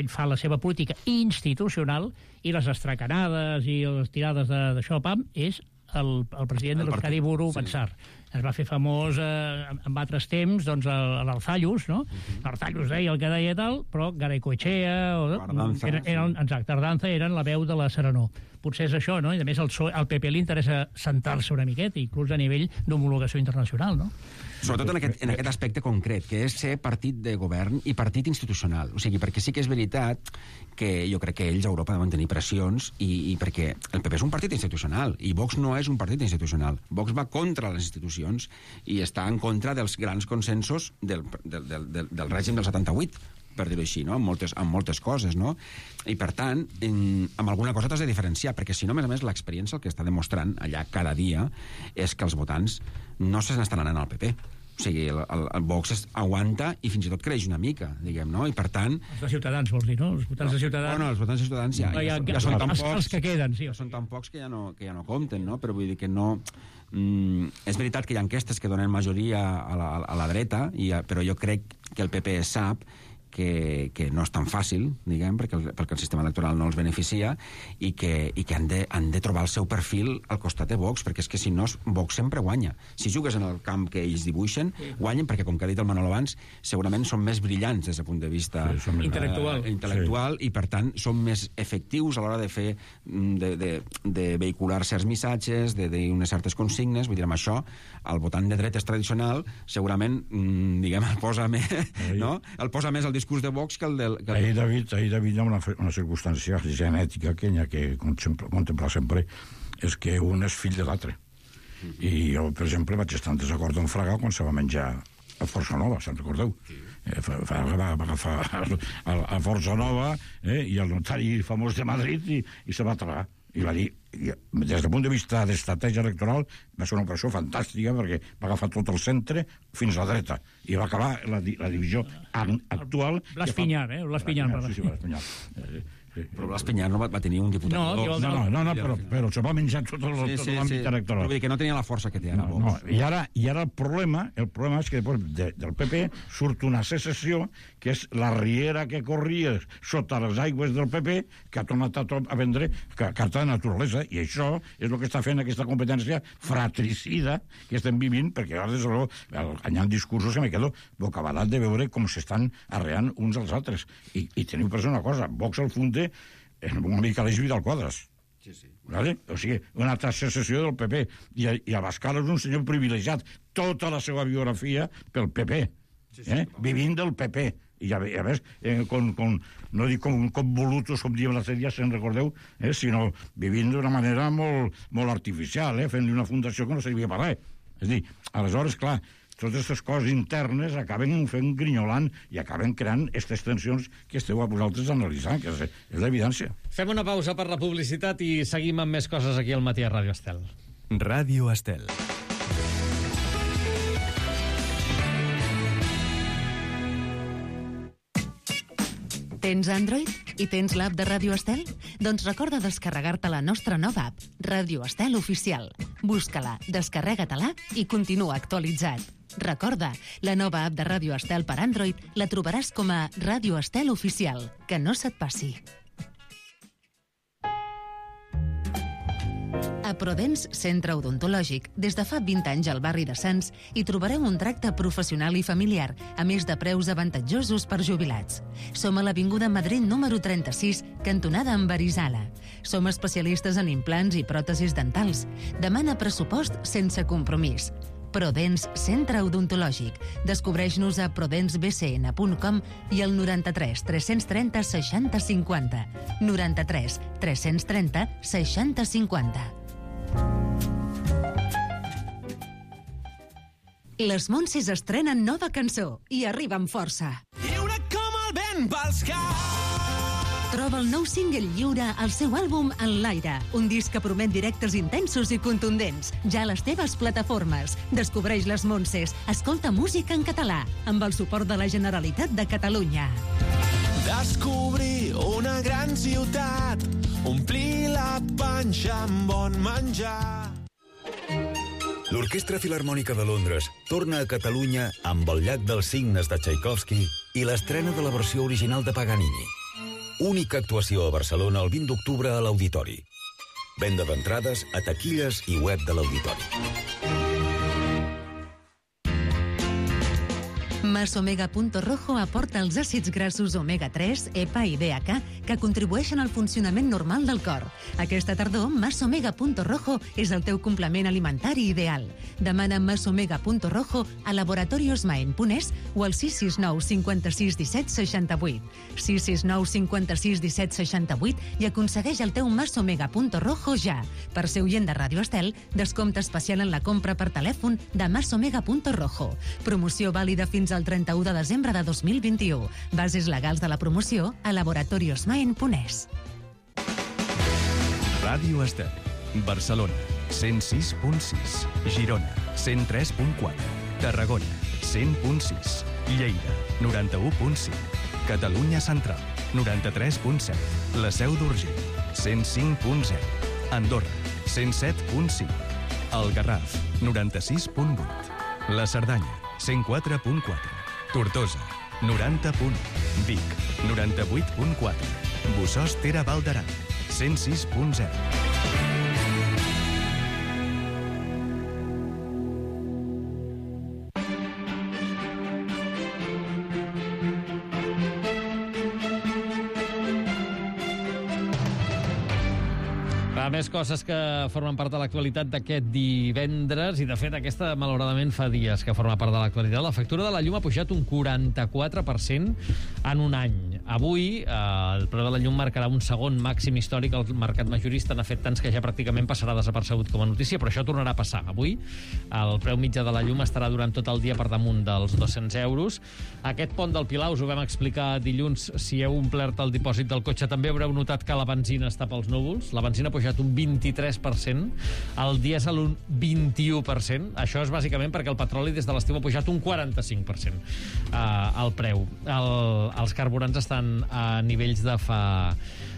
ell fa la seva política institucional, i les estracanades i les tirades d'això, pam, és el, el president de l'Euskadi Buru Batzar. Sí. Es va fer famós eh, en altres temps, doncs, l'Arzallus, no? Uh-huh. L'Arzallus deia el que deia i tal, però Garaikoetxea... O, Ardanza, eren, eren, sí. Exacte, Ardanza eren la veu de la Serenor. Potser és això, no? I a més al, al P P li interessa sentar-se una miqueta, inclús a nivell d'homologació internacional, no? sobretot en aquest, en aquest aspecte concret, que és ser partit de govern i partit institucional. O sigui, perquè sí que és veritat que jo crec que ells a Europa deuen tenir pressions i, i perquè el P P és un partit institucional i Vox no és un partit institucional. Vox va contra les institucions i està en contra dels grans consensos del, del, del, del, del règim del setanta-vuit, per dir-ho així, no? Amb moltes, amb moltes coses, no? I, per tant, en, amb alguna cosa t'has de diferenciar, perquè si no, a més a més, l'experiència el que està demostrant allà cada dia és que els votants no se n'estan anant al P P. O sigui, el, el, el Vox es aguanta i fins i tot creix una mica, diguem, no? I, per tant... Els de Ciutadans, vols dir, no? Els votants de Ciutadans... Bueno, els votants de Ciutadans ja, ja, ja, ja són tan els, pocs... Els que queden, sí. Ja són tan pocs que ja no, que ja no compten, no? Però vull dir que no... Mm, és veritat que hi ha enquestes que donen majoria a la, a la dreta, i, però jo crec que el P P sap que, que no és tan fàcil, diguem, perquè el, perquè el sistema electoral no els beneficia i que, i que han, de, han de trobar el seu perfil al costat de Vox, perquè és que si no, Vox sempre guanya. Si jugues en el camp que ells dibuixen, guanyen, perquè, com que ha dit el Manol abans, segurament són més brillants des del punt de vista sí, intel·lectual, eh, intel·lectual sí. I, per tant, són més efectius a l'hora de fer, de, de, de vehicular certs missatges, de dir unes certes consignes. Vull dir, amb això, el votant de dretes tradicional segurament, diguem, el posa més, no? El posa més el discurs de Vox que el del... Que el... Ahir, David, ahir, David, hi ha una, una circumstància genètica que hi ha que contemplar sempre, és que un és fill de l'altre. Mm-hmm. I jo, per exemple, vaig estar en desacord amb Fraga quan se va menjar a Força Nova, se'n recordeu? Sí. Eh, Fraga va, va agafar a, a Força Nova eh, i el notari famós de Madrid i, i se va tragar. I va dir, des del punt de vista d'estratègia electoral, va ser una operació fantàstica perquè va agafar tot el centre fins a la dreta i va acabar la, la divisió actual... Blas Pinyar, eh? Blas Pinyar. Sí, sí, Blas Pinyar. Eh, Sí. Però Blas Pinyar no va, va tenir un diputat. No, no, no, no, no però, però se va menjar tot l'àmbit sí, sí, sí. electoral. Vull dir que no tenia la força que té ara. No, no. I, ara, I ara el problema, el problema és que després de, del P P surt una secessió que és la riera que corria sota les aigües del P P que ha tornat a, a vendre carta de naturalesa, i això és el que està fent aquesta competència fratricida que estem vivint, perquè ara des de l'ho hi ha discursos que me quedo bocabadat de veure com s'estan arreant uns als altres. I, i teniu per una cosa, Vox al funde és una mica l'Eix Vidal Quadras. Sí, sí. Vale? O sigui, una altra secessió del P P. I, i Abascal és un senyor privilegiat. Tota la seva biografia pel P P. Sí, sí, eh? Vivint del P P. I a, a més, eh, con, con, no dic com, com volutos, com diem l'altre dia, se'n recordeu, eh? Sinó vivint d'una manera molt, molt artificial, eh? Fent-li una fundació que no servia per res. És a dir, aleshores, clar, totes aquestes coses internes acaben fent grinyolant i acaben creant aquestes tensions que esteu a vosaltres analitzant, que és, és l'evidència. Fem una pausa per la publicitat i seguim amb més coses aquí al matí a Ràdio Estel. Ràdio Estel. Tens Android i tens l'app de Ràdio Estel? Doncs recorda descarregar-te la nostra nova app, Ràdio Estel Oficial. Busca-la, descarrega-te-la i continua actualitzat. Recorda, la nova app de Ràdio Estel per Android la trobaràs com a Ràdio Estel Oficial. Que no se't passi. A Prodens Centre Odontològic, des de fa vint anys al barri de Sants, hi trobareu un tracte professional i familiar, a més de preus avantatjosos per jubilats. Som a l'Avinguda Madrid número trenta-sis, cantonada amb Arizala. Som especialistes en implants i pròtesis dentals. Demana pressupost sense compromís. Prodens Centre Odontològic. Descobreix-nos a prodens b c n punt com i al noranta-tres tres-cents trenta seixanta cinquanta. noranta-tres tres-cents trenta seixanta cinquanta. Les Montses estrenen nova cançó i arriba amb força. Lliure com el vent pels caps. Troba el nou single Lliure al seu àlbum En l'aire, un disc que promet directes intensos i contundents, ja a les teves plataformes. Descobreix les Montses, escolta música en català, amb el suport de la Generalitat de Catalunya. Descobrir una gran ciutat, omplir la panxa amb bon menjar. L'Orquestra Filharmònica de Londres torna a Catalunya amb el Llac dels Cignes de Tchaikovsky i l'estrena de la versió original de Paganini. Única actuació a Barcelona el vint d'octubre a l'Auditori. Venda d'entrades a taquilles i web de l'Auditori. Masomega.rojo aporta els àcids grassos omega tres, E P A i D H A que contribueixen al funcionament normal del cor. Aquesta tardor, Masomega.rojo és el teu complement alimentari ideal. Demana Masomega.rojo a Laboratorios Maen Punès o al sis sis nou cinquanta-sis disset seixanta-vuit. sis sis nou cinquanta-sis disset seixanta-vuit i aconsegueix el teu Masomega.rojo ja. Per ser oient de Ràdio Estel, descompte especial en la compra per telèfon de Masomega.rojo. Promoció vàlida fins al trenta-u de desembre de dos mil vint-i-u. Bases legals de la promoció a Laboratorios Maen Punès. Ràdio Estel, Barcelona, cent sis punt sis, Girona, cent tres punt quatre, Tarragona, cent punt sis, Lleida, noranta-u punt cinc, Catalunya Central, noranta-tres punt set, La Seu d'Urgell, cent cinc punt zero, Andorra, cent set punt cinc, El Garraf, noranta-sis punt vuit, La Cerdanya, cent quatre punt quatre, Tortosa, noranta punt u, Vic, noranta-vuit punt quatre, Bossòst Tere Val d'Aran, cent sis punt zero. Més coses que formen part de l'actualitat d'aquest divendres, i de fet aquesta malauradament fa dies que forma part de l'actualitat. La factura de la llum ha pujat un quaranta-quatre per cent en un any. Avui eh, el preu de la llum marcarà un segon màxim històric al mercat majorista. N'ha fet tants que ja pràcticament passarà desapercebut com a notícia, però això tornarà a passar. Avui el preu mitjà de la llum estarà durant tot el dia per damunt dels dos-cents euros. Aquest pont del Pilar, us ho vam explicar dilluns, si heu omplert el dipòsit del cotxe també haureu notat que la benzina està pels núvols. La benzina ha pujat un vint-i-tres per cent, el dièsel un vint-i-u per cent. Això és bàsicament perquè el petroli des de l'estiu ha pujat un quaranta-cinc per cent eh, el preu. El, els carburants estan a nivells de fa,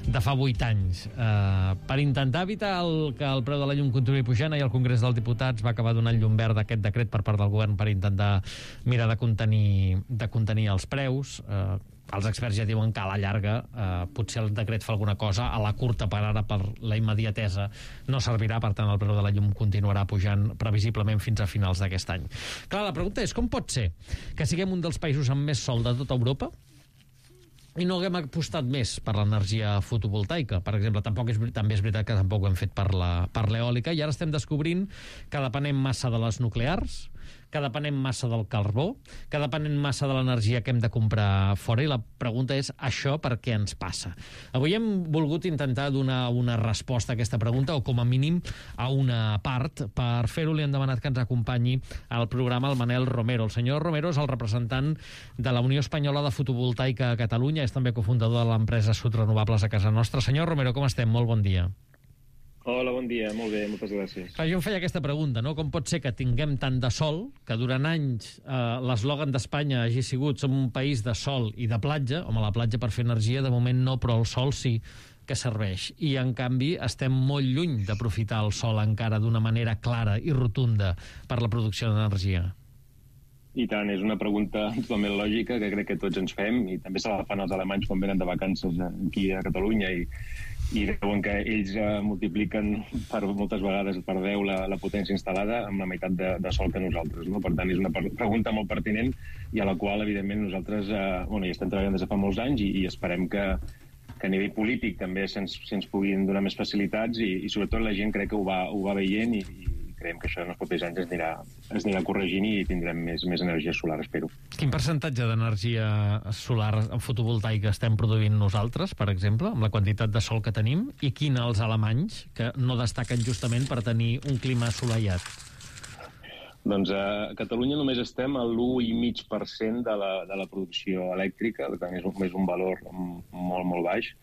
de fa vuit anys. Eh, per intentar evitar el, que el preu de la llum continuï pujant, ahir el Congrés dels Diputats va acabar donant llum verd a aquest decret per part del govern per intentar mirar de contenir, de contenir els preus. Eh, Els experts ja diuen que a la llarga eh, potser el decret fa alguna cosa, a la curta per ara, per la immediatesa, no servirà, per tant el preu de la llum continuarà pujant previsiblement fins a finals d'aquest any. Clar, la pregunta és com pot ser que siguem un dels països amb més sol de tota Europa i no haguem apostat més per l'energia fotovoltaica? Per exemple, tampoc és, també és veritat que tampoc ho hem fet per la, per l'eòlica, i ara estem descobrint que depenem massa de les nuclears, que depenem massa del carbó, que depenem massa de l'energia que hem de comprar fora, i la pregunta és, això per què ens passa? Avui hem volgut intentar donar una resposta a aquesta pregunta, o com a mínim a una part. Per fer-ho li hem demanat que ens acompanyi al programa el Manel Romero. El senyor Romero és el representant de la Unió Espanyola de Fotovoltaica a Catalunya, és també cofundador de l'empresa Sud Renovables a casa nostra. Senyor Romero, com estem? Molt bon dia. Hola, bon dia, molt bé, moltes gràcies. Clar, jo em feia aquesta pregunta, no? Com pot ser que tinguem tant de sol, que durant anys eh, l'eslògan d'Espanya hagi sigut som un país de sol i de platja, home, la platja per fer energia de moment no, però el sol sí que serveix, i en canvi estem molt lluny d'aprofitar el sol encara d'una manera clara i rotunda per la producció d'energia. I tant, és una pregunta totalment lògica que crec que tots ens fem, i també se la fan els alemanys quan venen de vacances aquí a Catalunya, i i veuen que ells eh, multipliquen per moltes vegades per deu la, la potència instal·lada amb la meitat de, de sol que nosaltres, no? Per tant, és una pregunta molt pertinent i a la qual, evidentment, nosaltres eh, bueno, hi estem treballant des de fa molts anys, i, i esperem que, que a nivell polític també se'ns se puguin donar més facilitats, i, i sobretot la gent crec que ho va, ho va veient, i, i creiem que això en els propers anys es anirà, es anirà corregint i tindrem més, més energia solar, espero. Quin percentatge d'energia solar fotovoltaica estem produint nosaltres, per exemple, amb la quantitat de sol que tenim, i quin els alemanys, que no destaquen justament per tenir un clima assolellat? Doncs a Catalunya només estem a l'u coma cinc per cent de la, de la producció elèctrica, per tant és un, és un valor molt, molt baix.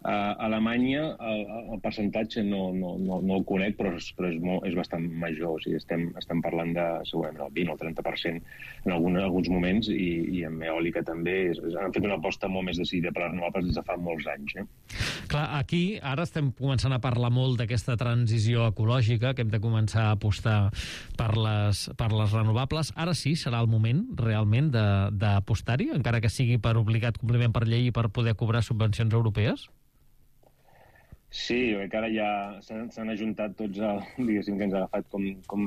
A Alemanya el, el percentatge no, no, no, no el conec, però, és, però és, molt, és bastant major. O sigui, estem, estem parlant de segurament el vint o el trenta per cent en algun, alguns moments, i, i amb eòlica també. És, han fet una aposta molt més decidida per les renovables des de fa molts anys. Eh? Clar, aquí ara estem començant a parlar molt d'aquesta transició ecològica, que hem de començar a apostar per les, per les renovables. Ara sí serà el moment realment d'apostar-hi, encara que sigui per obligat compliment per llei i per poder cobrar subvencions europees? Sí, jo crec que ara ja s'han ajuntat tots, el, diguéssim, que ens ha agafat, com, com,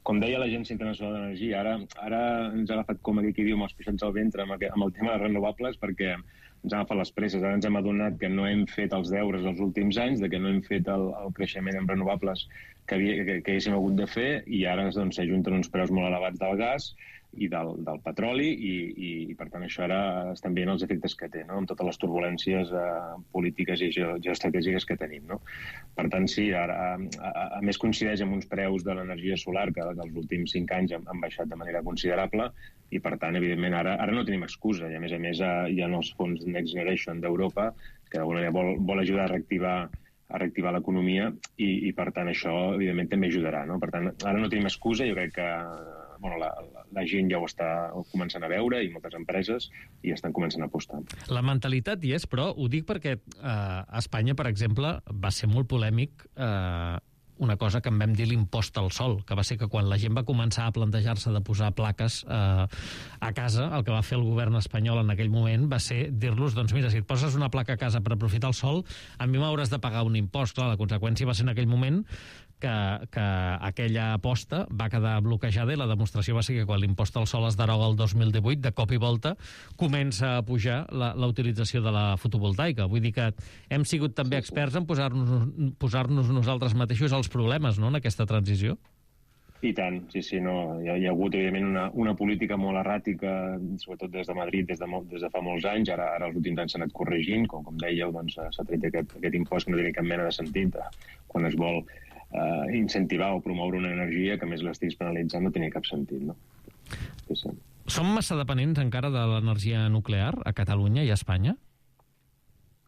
com deia l'Agència Internacional d'Energia, ara, ara ens ha agafat, com aquí diu, amb els pixots al ventre, amb, amb el tema de renovables, perquè ens han agafat les presses. Ara ens hem adonat que no hem fet els deures els últims anys, de que no hem fet el, el creixement en renovables que, havia, que, que haguéssim hagut de fer, i ara doncs, s'ajunten uns preus molt elevats del gas i del, del petroli, i, i, i per tant això ara estan veient els efectes que té, no? Amb totes les turbulències eh, polítiques i geoestratègiques que tenim, no? Per tant, sí, ara, a, a, a més coincideix amb uns preus de l'energia solar que els últims cinc anys han, han baixat de manera considerable, i per tant, evidentment, ara, ara no tenim excusa, i a més a més hi ha els fons Next Generation d'Europa, que d'alguna manera vol, vol ajudar a reactivar a reactivar l'economia, i, i per tant això evidentment també ajudarà, no? Per tant, ara no tenim excusa, jo crec que bueno, la, la, la gent ja ho està començant a veure, i moltes empreses, i estan començant a apostar. La mentalitat hi és, però ho dic perquè eh, a Espanya, per exemple, va ser molt polèmic eh, una cosa que en vam dir l'impost al sol, que va ser que quan la gent va començar a plantejar-se de posar plaques eh, a casa, el que va fer el govern espanyol en aquell moment va ser dir-los, doncs mira, si et poses una placa a casa per aprofitar el sol, a mi m'hauràs de pagar un impost. Clar, la conseqüència va ser en aquell moment que, que aquella aposta va quedar bloquejada, i la demostració va ser que quan l'impost al sol es deroga el dos mil divuit, de cop i volta comença a pujar la, la utilització de la fotovoltaica. Vull dir que hem sigut també experts en posar-nos posar-nos nosaltres mateixos els problemes, no?, en aquesta transició. I tant, sí, sí, no. Hi ha, hi ha hagut, evidentment, una, una política molt erràtica, sobretot des de Madrid, des de, des de fa molts anys. Ara, ara els últims anys s'ha anat corregint, com, com dèieu, doncs, s'ha tret aquest, aquest impost que no té cap mena de sentit quan es vol eh, incentivar o promoure una energia que més l'estiguis penalitzant, no tenia cap sentit, no? Sí, sí. Som massa dependents encara de l'energia nuclear a Catalunya i a Espanya?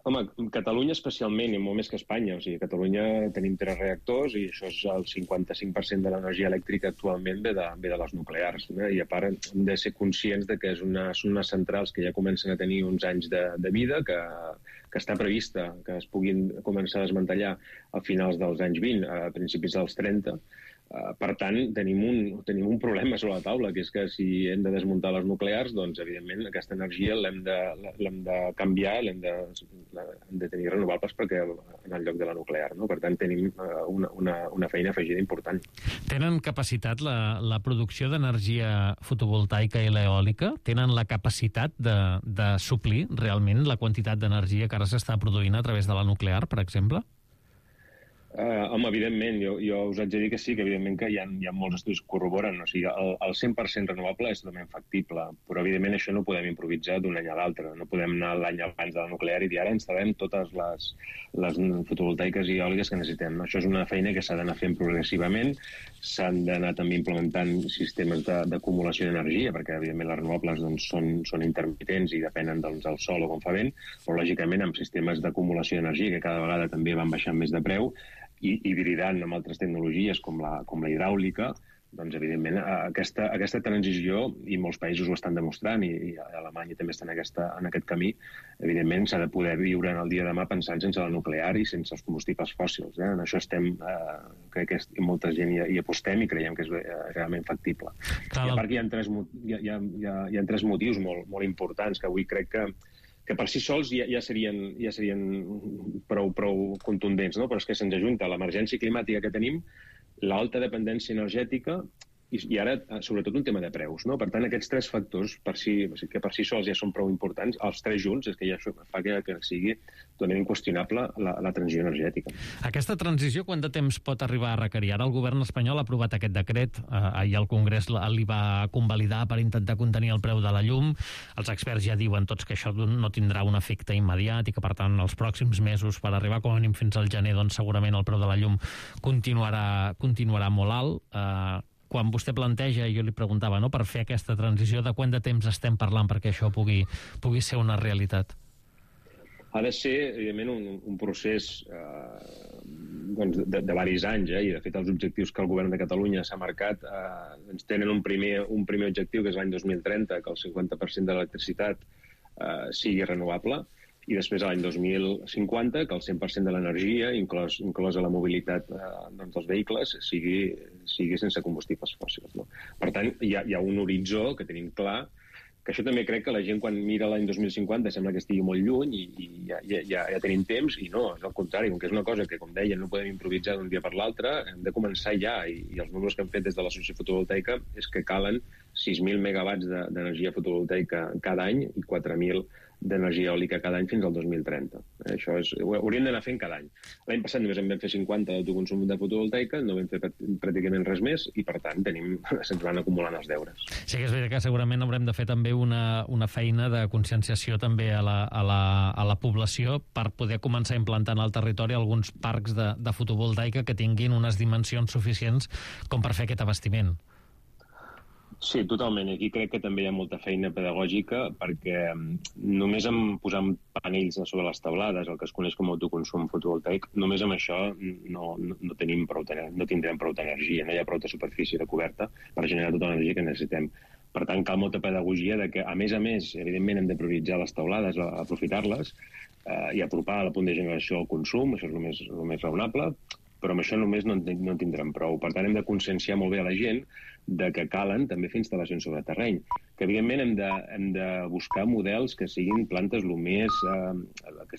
Home, Catalunya especialment, i molt més que Espanya. O sigui, a Catalunya tenim tres reactors, i això és el cinquanta-cinc per cent de l'energia elèctrica actualment ve de, ve de les nuclears. No? I a part hem de ser conscients de que és una, són unes centrals que ja comencen a tenir uns anys de, de vida, que, que està prevista que es puguin començar a desmantellar a finals dels anys vint, a principis dels trenta. Uh, per tant, tenim un, tenim un problema sobre la taula, que és que si hem de desmuntar les nuclears, doncs, evidentment, aquesta energia l'hem de, l'hem de canviar, l'hem de, l'hem de tenir renovables perquè en el lloc de la nuclear, no? Per tant, tenim uh, una, una, una feina afegida important. Tenen capacitat, la, la producció d'energia fotovoltaica i l'eòlica, tenen la capacitat de, de suplir realment la quantitat d'energia que ara s'està produint a través de la nuclear, per exemple? Uh, home, evidentment, jo, jo us haig de dir que sí, que evidentment que hi ha, hi ha molts estudis que corroboren, o sigui, el, el cent per cent renovable és totalment factible, però evidentment això no ho podem improvisar d'un any a l'altre, no podem anar l'any abans de la nuclear i dir ara instal·lem totes les, les fotovoltaiques i eòliques que necessitem. Això és una feina que s'ha d'anar fent progressivament, s'han d'anar també implementant sistemes d'acumulació d'energia, perquè evidentment les renovables doncs, són, són intermitents i depenen doncs, del sol o com fa vent, però lògicament amb sistemes d'acumulació d'energia que cada vegada també van baixant més de preu, i hibridant amb altres tecnologies com la, com la hidràulica, doncs, evidentment, aquesta, aquesta transició, i molts països ho estan demostrant, i, i a Alemanya també està en, aquesta, en aquest camí, evidentment s'ha de poder viure en el dia de demà pensant sense la nuclear i sense els combustibles fòssils. Eh? En això estem, eh, crec que molta gent hi, hi apostem i creiem que és eh, realment factible. Clar. I a part que hi ha tres, hi ha, hi ha, hi ha tres motius molt, molt importants que avui crec que que per si sols ja, ja, serien, ja serien prou, prou contundents, no? Però és que se'ns ajunta l'emergència climàtica que tenim, l'alta dependència energètica i, i ara, sobretot, un tema de preus, no? Per tant, aquests tres factors, per si, que per si sols ja són prou importants, els tres junts, és que ja fa que, que sigui totalment inqüestionable la, la transició energètica. Aquesta transició, quant de temps pot arribar a requerir? Ara el govern espanyol ha aprovat aquest decret, eh, ahir el Congrés li va convalidar per intentar contenir el preu de la llum. Els experts ja diuen tots que això no tindrà un efecte immediat i que, per tant, els pròxims mesos, per arribar com a mínim fins al gener, doncs segurament el preu de la llum continuarà, continuarà molt alt. Eh, quan vostè planteja, jo li preguntava, no, per fer aquesta transició, de quant de temps estem parlant perquè això pugui, pugui ser una realitat? Ha de ser, evidentment, un, un procés eh, doncs de, de diversos anys, eh? I de fet els objectius que el govern de Catalunya s'ha marcat eh, ens tenen un primer, un primer objectiu, que és l'any dos mil trenta, que el cinquanta per cent de l'electricitat eh, sigui renovable, i després a l'any dos mil cinquanta que el cent per cent de l'energia, inclòs, inclosa la mobilitat eh, doncs dels vehicles, sigui, sigui sense combustibles fòssils. No? Per tant, hi ha, hi ha un horitzó que tenim clar que això també crec que la gent quan mira l'any dos mil cinquanta sembla que estigui molt lluny i, i ja, ja, ja tenim temps, i no, és al contrari, com que és una cosa que, com deia, no podem improvisar d'un dia per l'altre, hem de començar ja, i, i els números que hem fet des de l'associació fotovoltaica és que calen sis mil megawatts d'energia fotovoltaica cada any i quatre mil d'energia eòlica cada any fins al dos mil trenta. Eh, això és, ho hauríem d'anar fent cada any. L'any passat només en vam fer cinquanta d'autoconsum de fotovoltaica, no vam fer pràcticament res més i, per tant, tenim, se'ns van acumulant els deures. Sí que és veritat que segurament haurem de fer també una, una feina de conscienciació també a la, a, la, a la població per poder començar a implantar en el territori alguns parcs de, de fotovoltaica que tinguin unes dimensions suficients com per fer aquest abastiment. Sí, totalment. Aquí crec que també hi ha molta feina pedagògica perquè només amb posar panells sobre les taulades, el que es coneix com a autoconsum fotovoltaic, només amb això no, no, no, tenim prou, no tindrem prou d'energia, no hi ha prou de superfície de coberta per generar tota l'energia que necessitem. Per tant, cal molta pedagogia de que, a més a més, evidentment hem de prioritzar les taulades, aprofitar-les eh, i apropar a la punt de generació al consum, això és el més, el més raonable, però amb això només no en, no en tindrem prou. Per tant, hem de conscienciar molt bé a la gent de que calen també fer instal·lacions sobre terreny, que evidentment hem de, hem de buscar models que siguin plantes el més, eh, que